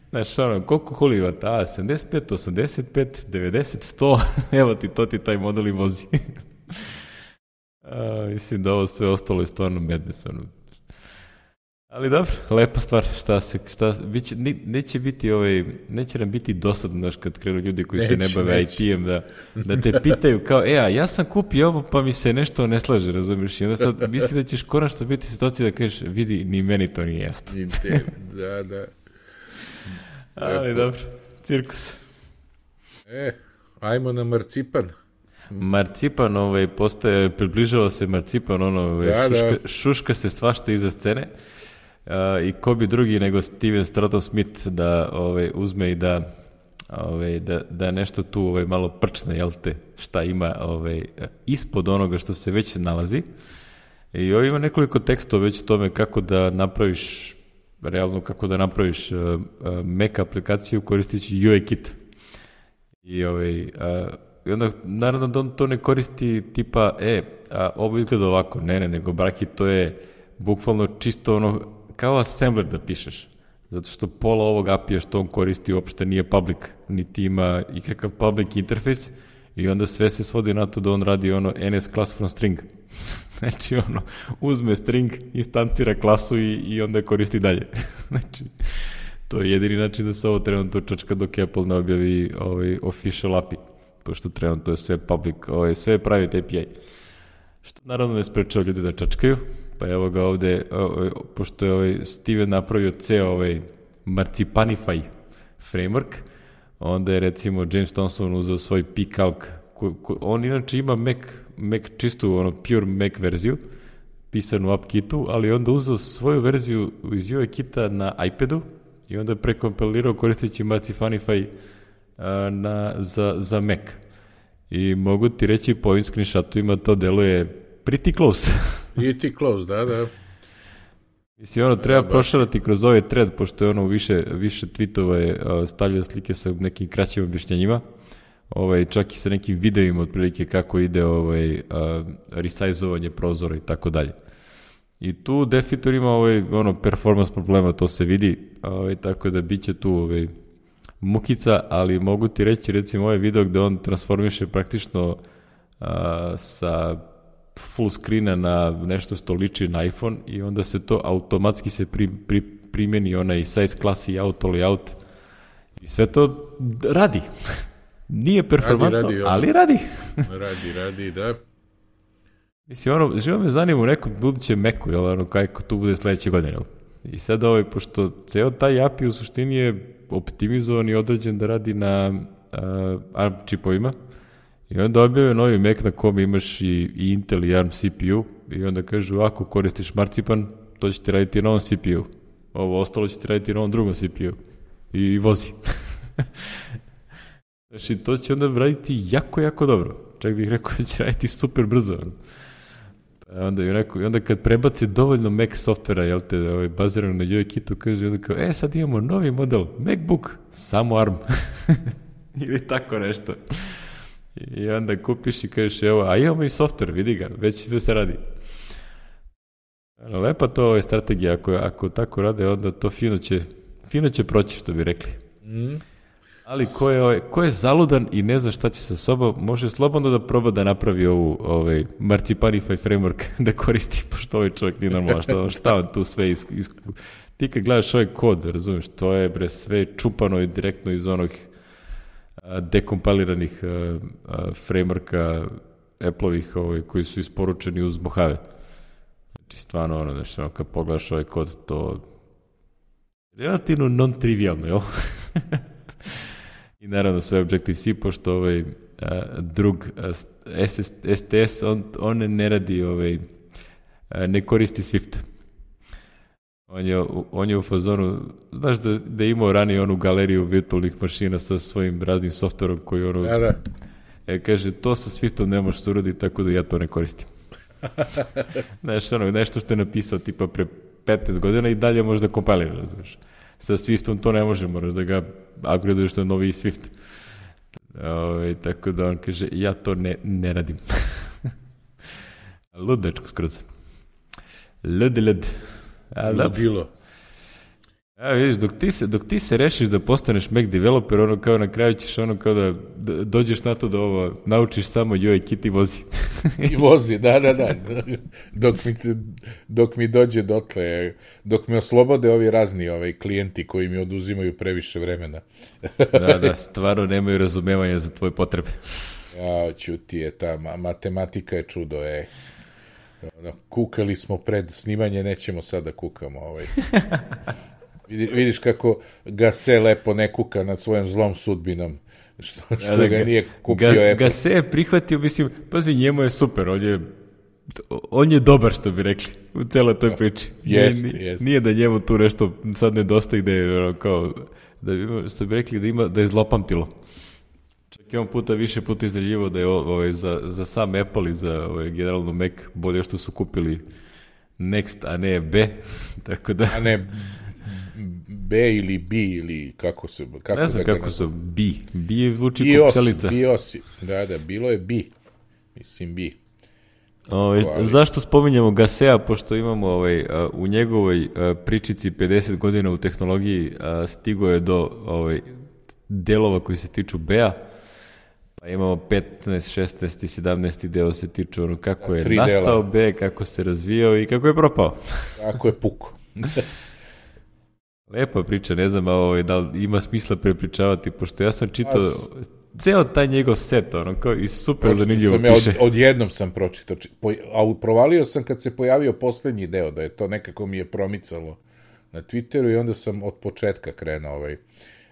Znaš, ono, koliko hulivata, a, sedamdeset pet, osamdeset pet, devedeset, sto, evo ti, to ti taj model i vozi. a, mislim da ovo sve ostalo je stvarno madness, ono. Ali dobro, lepa stvar, šta se, šta, biće, neće biti ovaj, neće nam biti dosadno, znaš, kad krenu ljudi koji neće, se ne bave I T-em, da, da te pitaju kao, e, a ja sam kupio ovo, pa mi se nešto ne slaže, razumiješ, i onda sad misli da ćeš konačno biti situacija da kažeš, vidi, ni meni to nije jasno. Da, da. Ali dobro, cirkus. E, ajmo na marcipan. Marcipan, ovaj, postaje, približava se marcipan, ono, ovaj, da, šuška, da. šuška se svašta iza scene. Uh, i ko bi drugi nego Steven Stratton Smith da ovaj, uzme i da, ovaj, da, da nešto tu ovaj, malo prčne, jel te, šta ima ovaj, ispod onoga što se već nalazi. I ovaj ima nekoliko tekstova već o tome kako da napraviš, realno kako da napraviš uh, uh, Mac aplikaciju koristeći U I Kit. I, ovaj, uh, i onda naravno da on to ne koristi tipa, e, a, ovo izgleda ovako, ne, ne, nego braki, to je bukvalno čisto ono, kao assembler da pišeš, zato što pola ovog A P I-a što on koristi uopšte nije public, niti ima ikakav public interface i onda sve se svodi na to da on radi ono N S class from string. Znači ono, uzme string, instancira klasu i, i onda koristi dalje. Znači, to je jedini način da se ovo trenutno čačka dok Apple ne objavi ovaj official A P I, pošto trenutno je sve public, ovaj, sve private A P I. Što naravno ne sprečava ljudi da čačkaju. Pa evo ga ovde, pošto je ovaj Steven napravio ceo ovaj Marcipanify framework, onda je recimo James Thompson uzeo svoj P-Calc, on inače ima Mac, Mac čistu, ono, pure Mac verziju, pisanu u AppKitu, ali onda uzeo svoju verziju iz U I Kita na iPadu i onda je prekompilirao koristeći Marcipanify na, za, za Mac. I mogu ti reći po ovim screenshotovima to deluje pretty close. Pretty close, da, da. Mislim, ono, treba prošarati kroz ovaj thread, pošto je ono više, više tweetova je stavljao slike sa nekim kraćim objašnjenjima, ovaj, čak i sa nekim videima otprilike kako ide ovaj, resizovanje prozora i tako dalje. I tu Defitor ima ovaj, ono, performance problema, to se vidi, ovaj, tako da bit će tu ovaj, mukica, ali mogu ti reći, recimo, ovaj video gde on transformiše praktično a, sa full screena na nešto što liči na iPhone i onda se to automatski se pri, pri, primjeni onaj size class i auto layout i sve to radi. Nije performantno, radi, radi, ali radi. Radi, radi, da. Mislim, ono, živo me zanima u nekom budućem Macu, jel, ono, kako tu bude sledeće godine, jel? I sad ovaj, pošto ceo taj A P I u suštini je optimizovan i određen da radi na uh, ARM čipovima, i onda objave novi Mac na kom imaš i, i Intel i ARM C P U, i onda kažu, ako koristiš Marcipan, to će ti raditi na ovom C P U. Ovo ostalo će ti raditi na ovom drugom C P U. I, i vozi. Znači, to će onda raditi jako, jako dobro. Čak bih rekao da će raditi super brzo. Onda, i rekao, i onda kad prebace dovoljno Mac softvera, jel te, ovaj, bazirano na UIKitu, kaže, onda kao, e, sad imamo novi model, MacBook, samo ARM. Ili tako nešto. I onda kupiš i kažeš, evo, a imamo i softver, vidi ga, već sve se radi. Lepa to je strategija, ako, ako tako rade, onda to fino će, fino će proći, što bi rekli. Mm. Ali ko je, ko je zaludan i ne zna šta će sa sobom, može slobodno da proba da napravi ovu ovaj, Marcipanify framework da koristi, pošto ovaj čovjek nije normalno, šta, šta on tu sve is, is, ti kad gledaš ovaj kod, razumiješ, to je bre sve čupano i direktno iz onog a, dekompiliranih a, a, frameworka Apple-ovih ovaj, koji su isporučeni uz Mojave. Znači stvarno ono, znači, ono kad pogledaš ovaj kod, to relativno non-trivialno, jel? I naravno sve Objective-C, pošto ovaj uh, drug uh, S T S, on, on ne radi, ovaj, uh, ne koristi Swift. On je, on je u fazonu, znaš da, da je imao ranije onu galeriju virtualnih mašina sa svojim raznim softverom koji ono... Da, da. E, kaže, to sa Swiftom ne možeš uraditi, tako da ja to ne koristim. Znaš, ono, nešto što je napisao tipa pre petnaest godina i dalje možeš da kompilira, razumiješ. Sa Swiftom to ne može, moraš da ga upgradeuješ na novi Swift. Ove, tako da on kaže, ja to ne, ne radim. Lud dečko skroz. Lud, lud. Bilo. A vidiš, dok ti, se, dok ti se rešiš da postaneš Mac developer, ono kao na kraju ćeš ono kao da, da dođeš na to da ovo naučiš samo UIKit i vozi. I vozi, da, da, da. Dok mi, se, dok mi dođe dotle, dok mi oslobode ovi razni ovaj, klijenti koji mi oduzimaju previše vremena. Da, da, stvarno nemaju razumevanja za tvoje potrebe. Ja, ćuti je, ta matematika je čudo, ej. Ono, kukali smo pred snimanje, nećemo sad da kukamo. Ovaj. Vidiš kako Gase lepo ne kuka nad svojom zlom sudbinom, što, što da, ga nije kupio ga, Apple. Gase je prihvatio, mislim, pazi, njemu je super, on je, on je dobar, što bi rekli, u celoj toj priči. Jest, nije, jest. Nije da njemu tu nešto sad nedostaje, gde je, kao, da ima, što bi rekli, da, ima, da je zlopamtilo. Čak je on puta, više puta izdeljivao da je ovaj, za, za sam Apple i za ovaj, generalno Mac bolje što su kupili Next, a ne B. Tako da... A ne B ili B ili kako se... Kako ne znam da kako su B. B vuči bios, kupčelica. Bios, da, da, bilo je B. Mislim B. Ovaj, ali... Zašto spominjamo Gasea, pošto imamo ovaj, u njegovoj pričici pedeset godina u tehnologiji stigo je do ovaj, delova koji se tiču B-a. Pa imamo petnaest, šesnaest i sedamnaest deo se tiču ono kako je Tri nastao dela. B, kako se razvijao i kako je propao. Kako je puko. Lepa priča, ne znam ovaj, da li ima smisla prepričavati, pošto ja sam čitao As... ceo taj njegov set, ono, kao i super Pročito zanimljivo piše. Od, odjednom sam pročitao, po, a provalio sam kad se pojavio poslednji deo, da je to nekako mi je promicalo na Twitteru i onda sam od početka krenuo ovaj...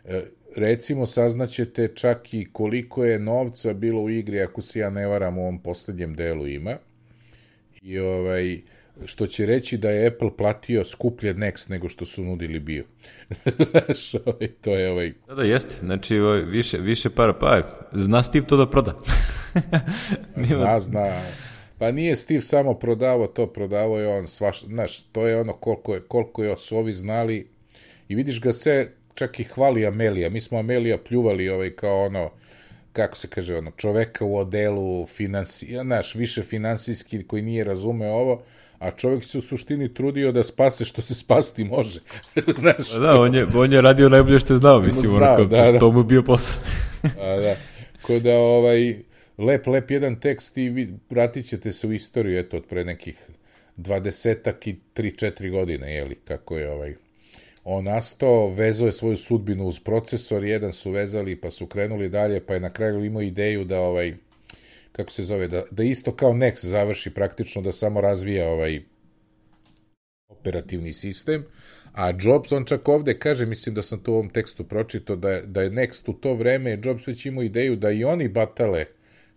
E, recimo, saznaćete čak i koliko je novca bilo u igri, ako se ja ne varam, u ovom poslednjem delu ima. I ovaj, što će reći da je Apple platio skuplje Next nego što su nudili bio. Znaš, ovaj, to je ovaj... Da, da, jeste. Znači, ovaj, više, više para, pa zna Steve to da proda. Zna, zna. Pa nije Steve samo prodavao to, prodavao je on svaš... Znaš, to je ono koliko, je, koliko je, su ovi znali. I vidiš ga sve... Čak i hvali Amelija. Mi smo Amelija pljuvali ovaj kao ono, kako se kaže, ono, čoveka u odelu, finansi, znaš, više finansijski koji nije razumeo ovo, a čovjek se u suštini trudio da spase što se spasti može. Znaš? Da, on je, on je radio najbolje što je znao, mislim, znao, onako, da, da. To mu je bio posao. A, da. Ko da, ovaj, lep, lep jedan tekst i vi vratit ćete se u istoriju, eto, od pre nekih dvadesetak i tri četiri godine, jeli, kako je ovaj... On nastao, vezao je svoju sudbinu uz procesor, jedan su vezali pa su krenuli dalje, pa je na kraju imao ideju da ovaj, kako se zove, da, da isto kao Next završi praktično, da samo razvija ovaj operativni sistem, a Jobs, on čak ovde kaže, mislim da sam to u ovom tekstu pročitao, da je, da je Next u to vreme, Jobs već imao ideju da i oni batale,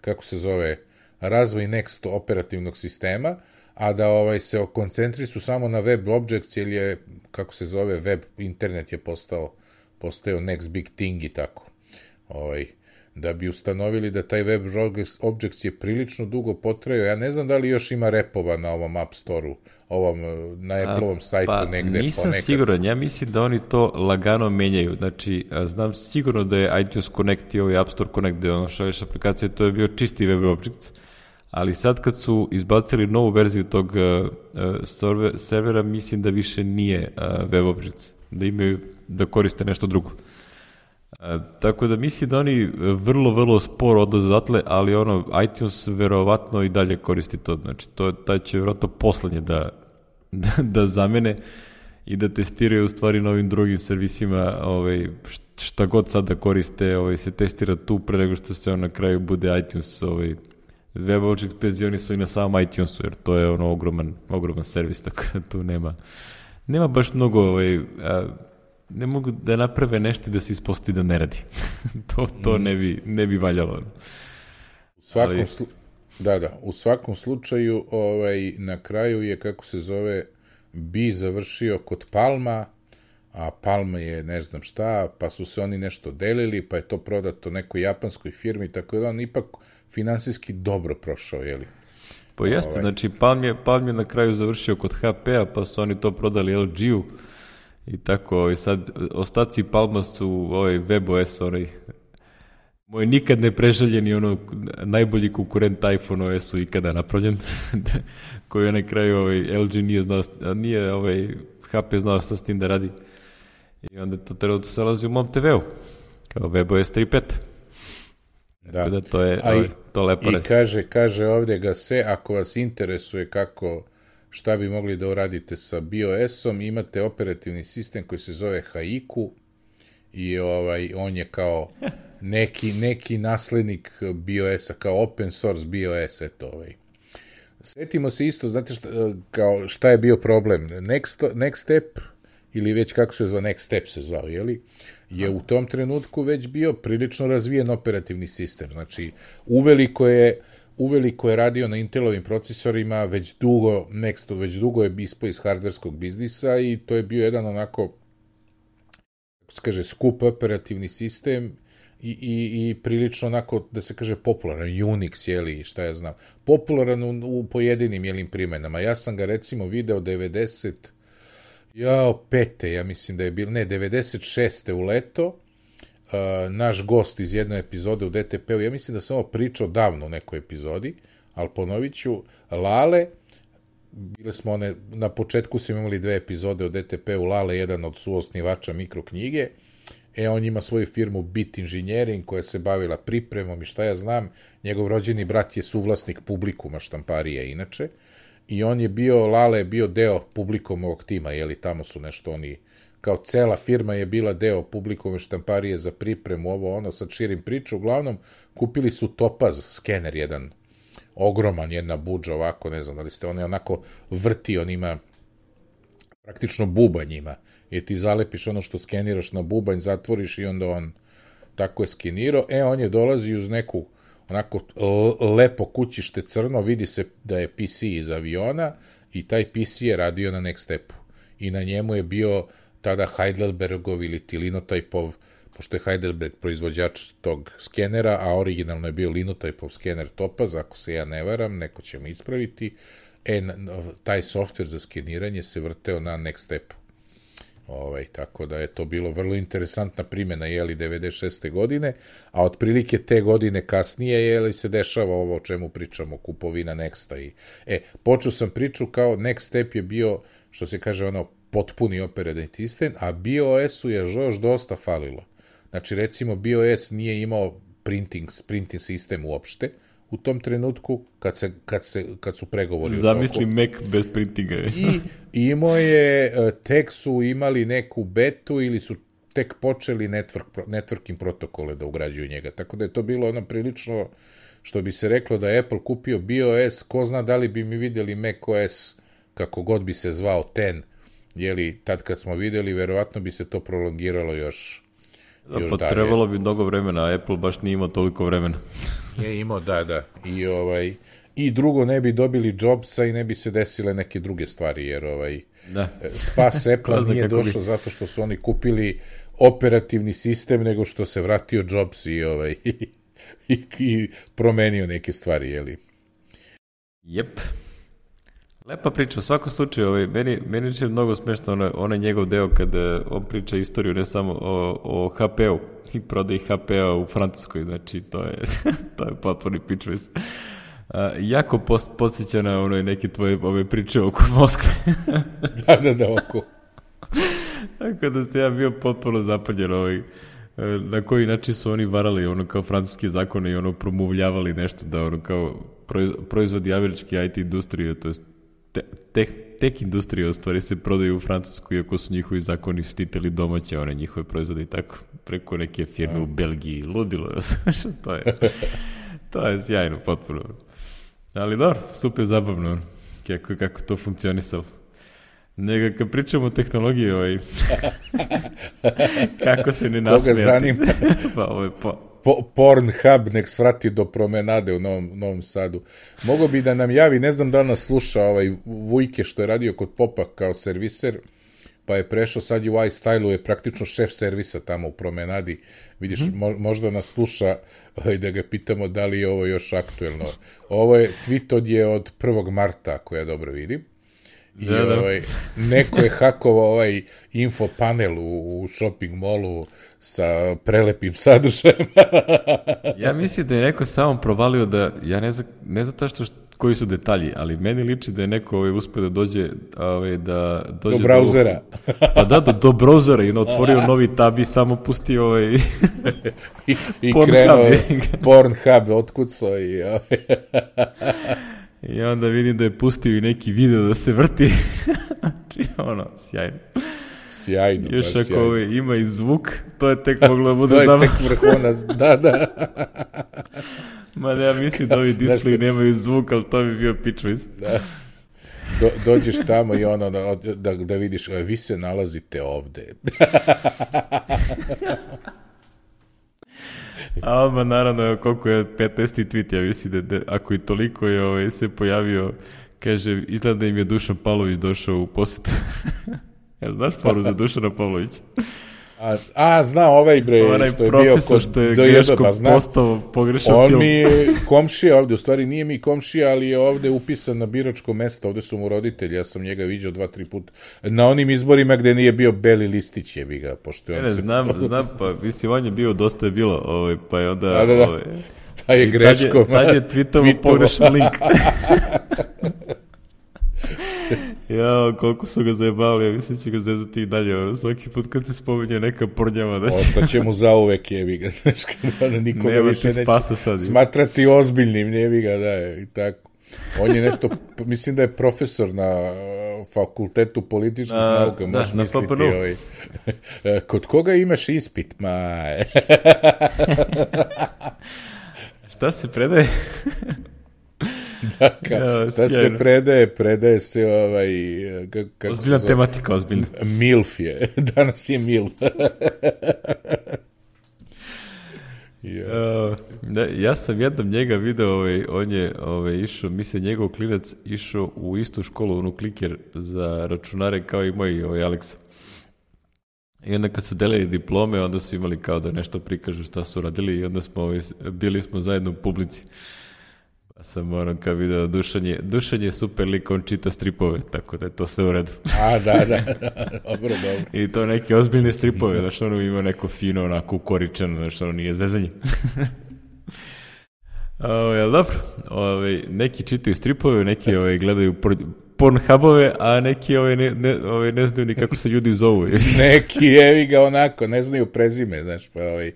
kako se zove, razvoj Next operativnog sistema, a da ovaj, se koncentrišu samo na web objects, jer je, kako se zove, web, internet je postao, postao next big thing i tako. Ovaj, da bi ustanovili da taj web objects je prilično dugo potrajao. Ja ne znam da li još ima repova na ovom App Store-u, ovom, na Apple-ovom sajtu pa, negde. Nisam ponekad. siguran, ja mislim da oni to lagano menjaju. Znači, znam sigurno da je iTunes Connect i ovaj App Store Connect, da je ono šalješ aplikacije, to je bio čisti web objects, ali sad kad su izbacili novu verziju tog uh, server, servera, mislim da više nije uh, web objects, da imaju, da koriste nešto drugo. Uh, tako da mislim da oni vrlo, vrlo sporo odlaze odatle, ali ono, iTunes verovatno i dalje koristi to, znači to, taj će verovatno poslednje da, da, da zamene i da testiraju u stvari na ovim drugim servisima, ovaj, šta god sad da koriste, ovaj, se testira tu pre nego što se on na kraju bude iTunes ovaj, web object penzioni su i na samom iTunesu, jer to je ono ogroman, ogroman servis, tako da tu nema, nema baš mnogo, ovaj, a, ne mogu da naprave nešto da se ispostavi da ne radi. to to mm. ne, bi, ne bi valjalo. U svakom, Ali... slu... da, da, u svakom slučaju ovaj, na kraju je, kako se zove, bi završio kod Palma, a Palma je ne znam šta, pa su se oni nešto delili, pa je to prodato nekoj japanskoj firmi, tako da on ipak finansijski dobro prošao, jeli? Pa jeste, ovaj. Znači Palm je, Palm je na kraju završio kod H P-a, pa su oni to prodali L G-u i tako, i sad ostaci Palma su ovaj WebOS, onaj moj nikad ne preželjeni ono najbolji konkurent iPhone O S-u ikada napravljen, koji je na kraju ovaj, L G nije znao, nije ovaj, H P znao šta s tim da radi. I onda to trenutno se nalazi u mom te veu, kao WebOS tri pet. Da. da to je ovaj, to lepo reći. I kaže, kaže ovdje ga se, ako vas interesuje kako, šta bi mogli da uradite sa BIOS-om, imate operativni sistem koji se zove Haiku i ovaj, on je kao neki, neki naslednik BIOS-a, kao open source BIOS, eto ovaj. Sjetimo se isto, znate šta, kao šta je bio problem? Next, next Step, ili već kako se zva, Next Step se zvao, jeli? Je u tom trenutku već bio prilično razvijen operativni sistem. Znači, uveliko je, uveliko je radio na Intelovim procesorima, već dugo, Next, već dugo je ispao iz hardverskog biznisa i to je bio jedan onako, kako se kaže, skup operativni sistem i, i, i prilično onako, da se kaže, popularan, Unix, jeli, šta ja znam, popularan u, u pojedinim, jelim, primenama. Ja sam ga, recimo, video devedeset Jao, pete, ja mislim da je bilo, ne, devedeset šeste u leto, uh, naš gost iz jedne epizode u D T P-u, ja mislim da sam ovo pričao davno u nekoj epizodi, ali ponovit ću, Lale, bile smo one, na početku smo imali dve epizode u D T P-u, Lale, jedan od suosnivača mikroknjige, e, on ima svoju firmu Bit Engineering, koja se bavila pripremom i šta ja znam, njegov rođeni brat je suvlasnik Publikuma štamparije, inače, i on je bio, Lale je bio deo Publikom ovog tima, jeli, tamo su nešto oni, kao cela firma je bila deo Publikove štamparije za pripremu, ovo ono, sad širim priču, uglavnom, kupili su Topaz skener jedan, ogroman, jedna budža ovako, ne znam da li ste, on je onako vrti, on ima praktično bubanj ima, jer ti zalepiš ono što skeniraš na bubanj, zatvoriš i onda on tako je skenirao, e, on je dolazi uz neku onako lepo kućište crno, vidi se da je P C iz aviona i taj P C je radio na Next Stepu. I na njemu je bio tada Heidelbergov ili Linotypeov, pošto je Heidelberg proizvođač tog skenera, a originalno je bio Linotypeov skener Topaz, ako se ja ne varam, neko će me ispraviti, e, taj softver za skeniranje se vrteo na Next Stepu. Ovaj, tako da je to bilo vrlo interesantna primjena, jeli, devedeset šeste godine, a otprilike te godine kasnije, jeli, se dešava ovo o čemu pričamo, kupovina Nexta i, e, počeo sam priču kao Next Step je bio, što se kaže, ono, potpuni operativni sistem, a BIOS-u je još dosta falilo. Znači, recimo, BIOS nije imao printing, printing sistem uopšte, u tom trenutku, kad, se, kad, se, kad su pregovori... Zamisli Mac bez printinga. I imao je, tek su imali neku betu ili su tek počeli network, networking protokole da ugrađuju njega. Tako da je to bilo ono prilično, što bi se reklo da je Apple kupio BIOS, ko zna da li bi mi vidjeli macOS, kako god bi se zvao, ten jeli, tad kad smo videli, verovatno bi se to prolongiralo još, da, još pa dalje. Trebalo bi mnogo vremena, a Apple baš nije imao toliko vremena. Je imao, da, da. I, ovaj, i drugo, ne bi dobili Jobsa i ne bi se desile neke druge stvari, jer ovaj, da. spas Apple nije došao bi... zato što su oni kupili operativni sistem, nego što se vratio Jobs i, ovaj, i, i promenio neke stvari, jeli? Jep. Lepa priča, u svakom slučaju, ovaj, meni, meni je mnogo smešno onaj, onaj njegov deo kada on priča istoriju ne samo o, o ha pe u i prodaji ha pe a u Francuskoj, znači to je, to je potporni pičvis. A, jako post, podsjeća na onoj neke tvoje ove priče oko Moskve. da, da, da, oko. Tako da se ja bio potpuno zapanjen ovaj, na koji način su oni varali ono kao francuske zakone i ono promuvljavali nešto da ono kao proizvodi američke i te industrije, to je te, tek, tek industrije u stvari se prodaju u Francusku iako su njihovi zakoni štitili domaće one njihove proizvode i tako preko neke firme u Belgiji, ludilo, to je to je sjajno potpuno, ali dobro, super zabavno kako, kako to funkcionisalo. Nego kad pričamo o tehnologiji, ovaj, kako se ne nasmijati. Koga zanima? pa, ovaj, pa. Po, Pornhub nek svrati do promenade u Novom, Novom Sadu. Mogo bi da nam javi, ne znam da nas sluša ovaj Vujke što je radio kod Popa kao serviser, pa je prešao, sad je u iStylu, je praktično šef servisa tamo u promenadi. Vidiš, hmm. mo, možda nas sluša ovaj, da ga pitamo da li je ovo još aktuelno. Ovo je, tweet od je od prvog marta, ako ja dobro vidim. I da, da. Ovaj, neko je hakovao ovaj info panel u, u shopping mallu sa prelepim sadržajem. Ja mislim da je neko samo provalio da, ja ne znam, ne znam tašto što, koji su detalji, ali meni liči da je neko ovaj, uspio da dođe, ovaj, da dođe do brauzera. Do, pa da, do, do brauzera i otvorio novi tab i samo pustio ovaj i, i krenuo Pornhub otkucao i ovaj. I onda vidim da je pustio i neki video da se vrti. Znači, ono, sjajno. Sjajno, još pa ako sjajno. Ove, ima i zvuk, to je tek moglo da bude zabavno. To je tek vrhunac, da, da. Ma ne, ja mislim da ovi displeji nemaju zvuk, ali to bi bio pičviz. Da. Do, dođeš tamo i ono, da, da, da vidiš, vi se nalazite ovde. A odmah naravno koliko je petnaesti tweet, ja mislim da, da ako i toliko je ovaj, se pojavio, kaže, izgleda da im je Dušan Pavlović došao u posjetu. Ja znaš foru za Dušana Pavlovića? A, a zna ovaj bre, onaj što je profesor bio što je greško pa, postao pogrešan on film. On mi je komšija ovde, u stvari nije mi komšija, ali je ovde upisan na biračko mesto, ovde su mu roditelji, ja sam njega viđao dva, tri puta. Na onim izborima gde nije bio Beli listić, je bi ga, pošto je on ne, se... znam, znam, pa mislim, on je bio, dosta je bilo, ovaj, pa je onda... Da, da, da. Ovaj, pa je greškom. Tad je, tad je tweetovo pogrešan link. Ja, koliko su ga zajebali, ja mislim će ga zezati i dalje, ono, svaki put kad se spominje neka pornjava da će... Ostaće mu zauvek, jebi ga, znaš, kada nikoga nema više neće sad, smatrati ozbiljnim, jebi ga, da, i tako. On je nešto, mislim da je profesor na fakultetu političkih A, nauka, možeš da, misliti, ovaj, kod koga imaš ispit, ma... Šta se predaje? Da, ka, ja, šta se predaje, predaje se ovaj... Kako ozbiljna se tematika, ozbiljna. Milf je, danas je Milf. yeah. uh, da, ja sam jednom njega video, ovaj, on je ovaj, išao, mislim, njegov klinac išao u istu školu, onu kliker za računare kao i moj ovaj, Aleksa. I onda kad su delili diplome, onda su imali kao da nešto prikažu šta su radili i onda smo ovaj, bili smo zajedno u publici. Pa sam ono kao video, Dušan je, Dušan je super lik, on čita stripove, tako da je to sve u redu. A, da, da, dobro, dobro. I to neke ozbiljne stripove, znaš, ono ima neko fino, onako ukoričeno, znaš, ono nije zezanje. O, jel dobro? Ove, neki čitaju stripove, neki ove, gledaju Pornhubove, a neki ove, ne, ne, ove, ne znaju ni kako se ljudi zovu. Neki jevi ga onako, ne znaju prezime, znaš, pa ovaj,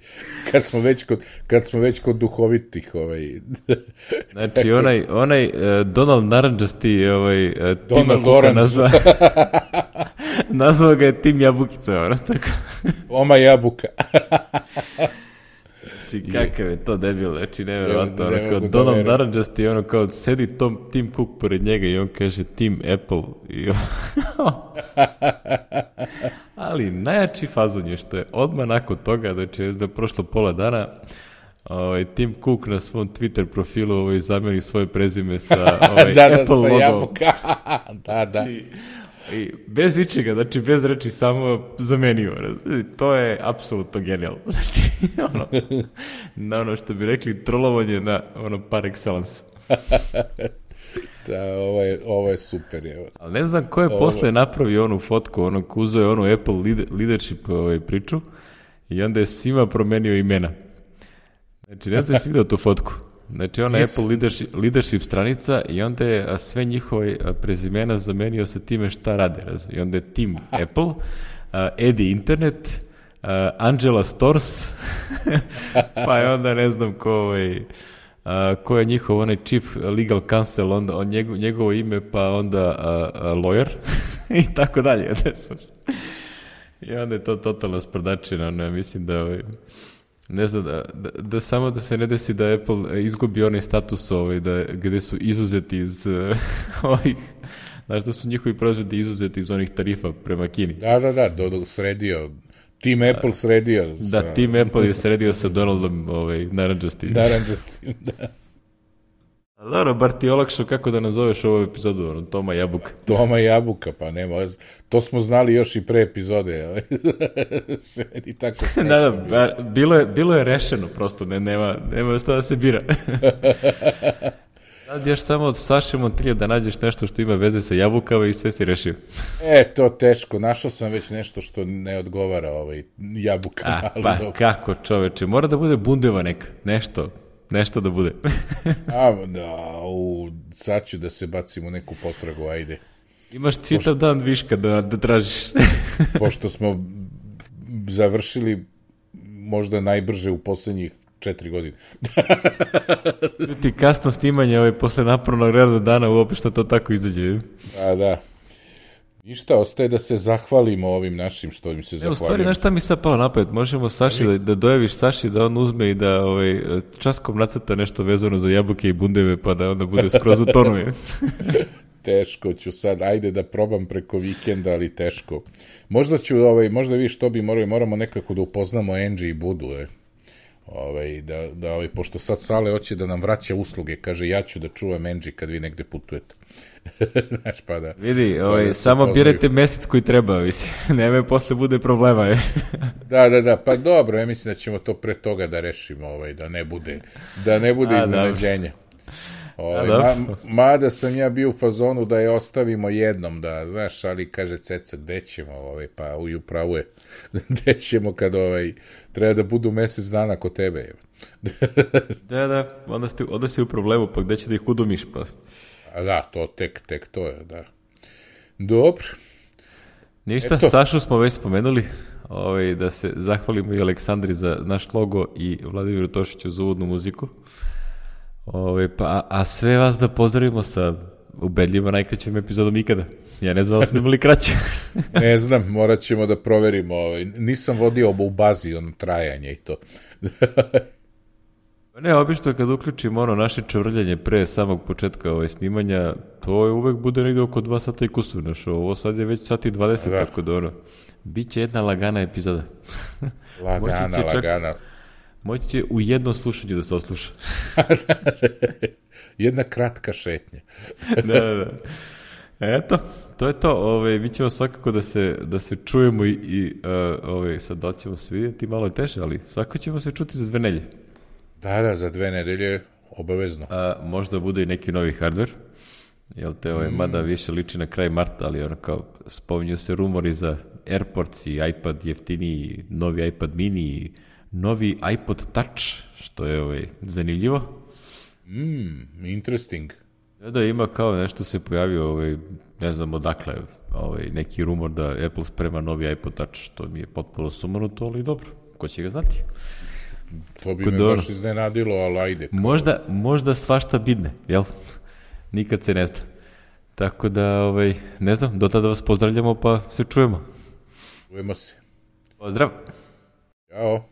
kad smo već kod, kad smo već kod duhovitih, ovaj. Znači, onaj, onaj uh, Donald Naranđasti, ovaj, uh, Tima Kuka nazva, nazva ga je Tim Jabukica, ono, tako. Oma Jabuka. Znači, kakav je to debil, znači, nevjerovatno, ono, ne kao mogu da Donald verujem. Narandžast i ono, kao, sedi Tom, Tim Cook pored njega i on kaže Team Apple. I ali najjači fazon je što je odmah nakon toga, znači, da je prošlo pola dana, ovaj, Tim Cook na svom Twitter profilu ovaj, zameni svoje prezime sa ovaj, da, da, Apple sa logom. jabuka. da, da. Znači, i bez ničega, znači bez reči, samo zamenio. To je apsolutno genijalno. Znači, ono, na ono što bi rekli, trolovanje na ono par excellence. Da, ovo je, ovo je super. Evo. Ali ne znam ko je ovo... posle napravio onu fotku, ono, uzeo je onu Apple leadership ovaj, priču i onda je svima promenio imena. Znači, ne znam jesi vidio tu fotku. Znači, ona yes. Apple leadership, leadership stranica i onda je sve njihove prezimena zamenio sa time šta rade. I onda je Team Apple, uh, Eddie Internet, uh, Angela Stores, pa je onda ne znam ko, ovaj, uh, ko je njihov onaj chief legal counsel, onda on njego, njegovo ime, pa onda uh, uh, lawyer i tako dalje. I onda je to totalno sprdačina. Ne, mislim da... Ovaj, ne znam, da, da, da samo da se ne desi da Apple izgubi onaj status ovaj, da, gde su izuzeti iz uh, ovih, znaš da su njihovi proizvodi izuzeti iz onih tarifa prema Kini. Da, da, da, do, do, sredio, Team Apple sredio. Da, sa... Team Apple je sredio sa Donaldom ovaj, Narandžastim. Narandžastim, da. Ali dobro, bar ti olakšao kako da nazoveš ovu epizodu, ono, Toma Jabuka. Toma Jabuka, pa nema, to smo znali još i pre epizode. Sve i tako da, da, bilo je, bilo je rešeno, prosto, ne, nema, nema šta da se bira. Sad još samo od Saše Montilja da nađeš nešto što ima veze sa jabukama i sve si rešio. E, to teško, našao sam već nešto što ne odgovara ovaj jabukama. A, pa ali kako čoveče, mora da bude bundeva neka, nešto. Nešto da bude. A, da, u, sad ću da se bacim u neku potragu, ajde. Imaš čitav pošto, dan viška da, da tražiš. Pošto smo završili možda najbrže u poslednjih četiri godine. Ti kasno snimanje ovaj, posle napornog radnog dana uopšte što to tako izađe. A, da. Ništa, ostaje da se zahvalimo ovim našim što im se zahvalimo. U stvari, znaš šta mi sad pao napred? Možemo Saši da, da dojaviš Saši da on uzme i da ovaj, časkom nacrta nešto vezano za jabuke i bundeve pa da onda bude skroz u tonu. Teško ću sad, ajde da probam preko vikenda, ali teško. Možda ću, ovaj, možda vi što bi morali, moramo nekako da upoznamo Angie i Budu, eh. Ovaj, da, da, ovaj, pošto sad Sale hoće da nam vraća usluge, kaže ja ću da čuvam Angie kad vi negde putujete. Znaš, pa da, vidi, ovaj, da samo birajte mesec koji treba, nema posle bude problema. Je. da, da, da, pa dobro, ja mislim da ćemo to pre toga da rešimo, ovaj, da ne bude, da ne bude iznenađenja. Ovaj, ma, mada sam ja bio u fazonu da je ostavimo jednom, da, znaš, ali kaže Ceca, gde ćemo, ovaj, pa u upravu je, gde ćemo kad ovaj, treba da budu mesec dana kod tebe. da, da, onda si, onda si u problemu, pa gde će da ih udomiš, pa... A da, to tek, tek to je, da. Dobro. Ništa, Eto. Sašu smo već spomenuli, ovaj, da se zahvalimo i Aleksandri za naš logo i Vladimiru Tošiću za uvodnu muziku. Ovaj, pa, a, a sve vas da pozdravimo sa ubedljivo najkraćom epizodom ikada. Ja ne znam da smo imali kraće. Ne znam, morat ćemo da proverimo. Ovaj. Nisam vodio u bazi ono trajanje i to. Ne, obično kad uključimo ono naše čvrljanje pre samog početka ovaj snimanja, to je uvek bude negde oko dva sata i kusur našo. Ovo sad je već sati dvadeset, da. Tako da ono, bit će jedna lagana epizoda. Lagana, čak, lagana. Moći će u jednom slušanju da se osluša. Jedna kratka šetnja. da, da, da. Eto, to je to. Ove, mi ćemo svakako da se, da se čujemo i, i uh, ove, sad da ćemo se vidjeti, malo je teže, ali svakako ćemo se čuti za dve nelje. Da, da, za dve nedelje obavezno. A, možda bude i neki novi hardware, jel te, ovaj, mm. mada više liči na kraj marta, ali ono kao, spominju se rumori za AirPods i iPad jeftiniji, novi iPad mini, novi iPod Touch, što je ovaj, zanimljivo. Mm, interesting. Da, da, ima kao nešto se pojavio, ovaj, ne znam odakle, ovaj, neki rumor da Apple sprema novi iPod Touch, što mi je potpuno sumanuto, ali dobro, ko će ga znati. To bi me baš iznenadilo, ali ajde. Možda, možda svašta bidne, jel? Nikad se ne zna. Tako da, ovaj, ne znam, do tada vas pozdravljamo pa se čujemo. Čujemo se. Pozdrav. Ćao.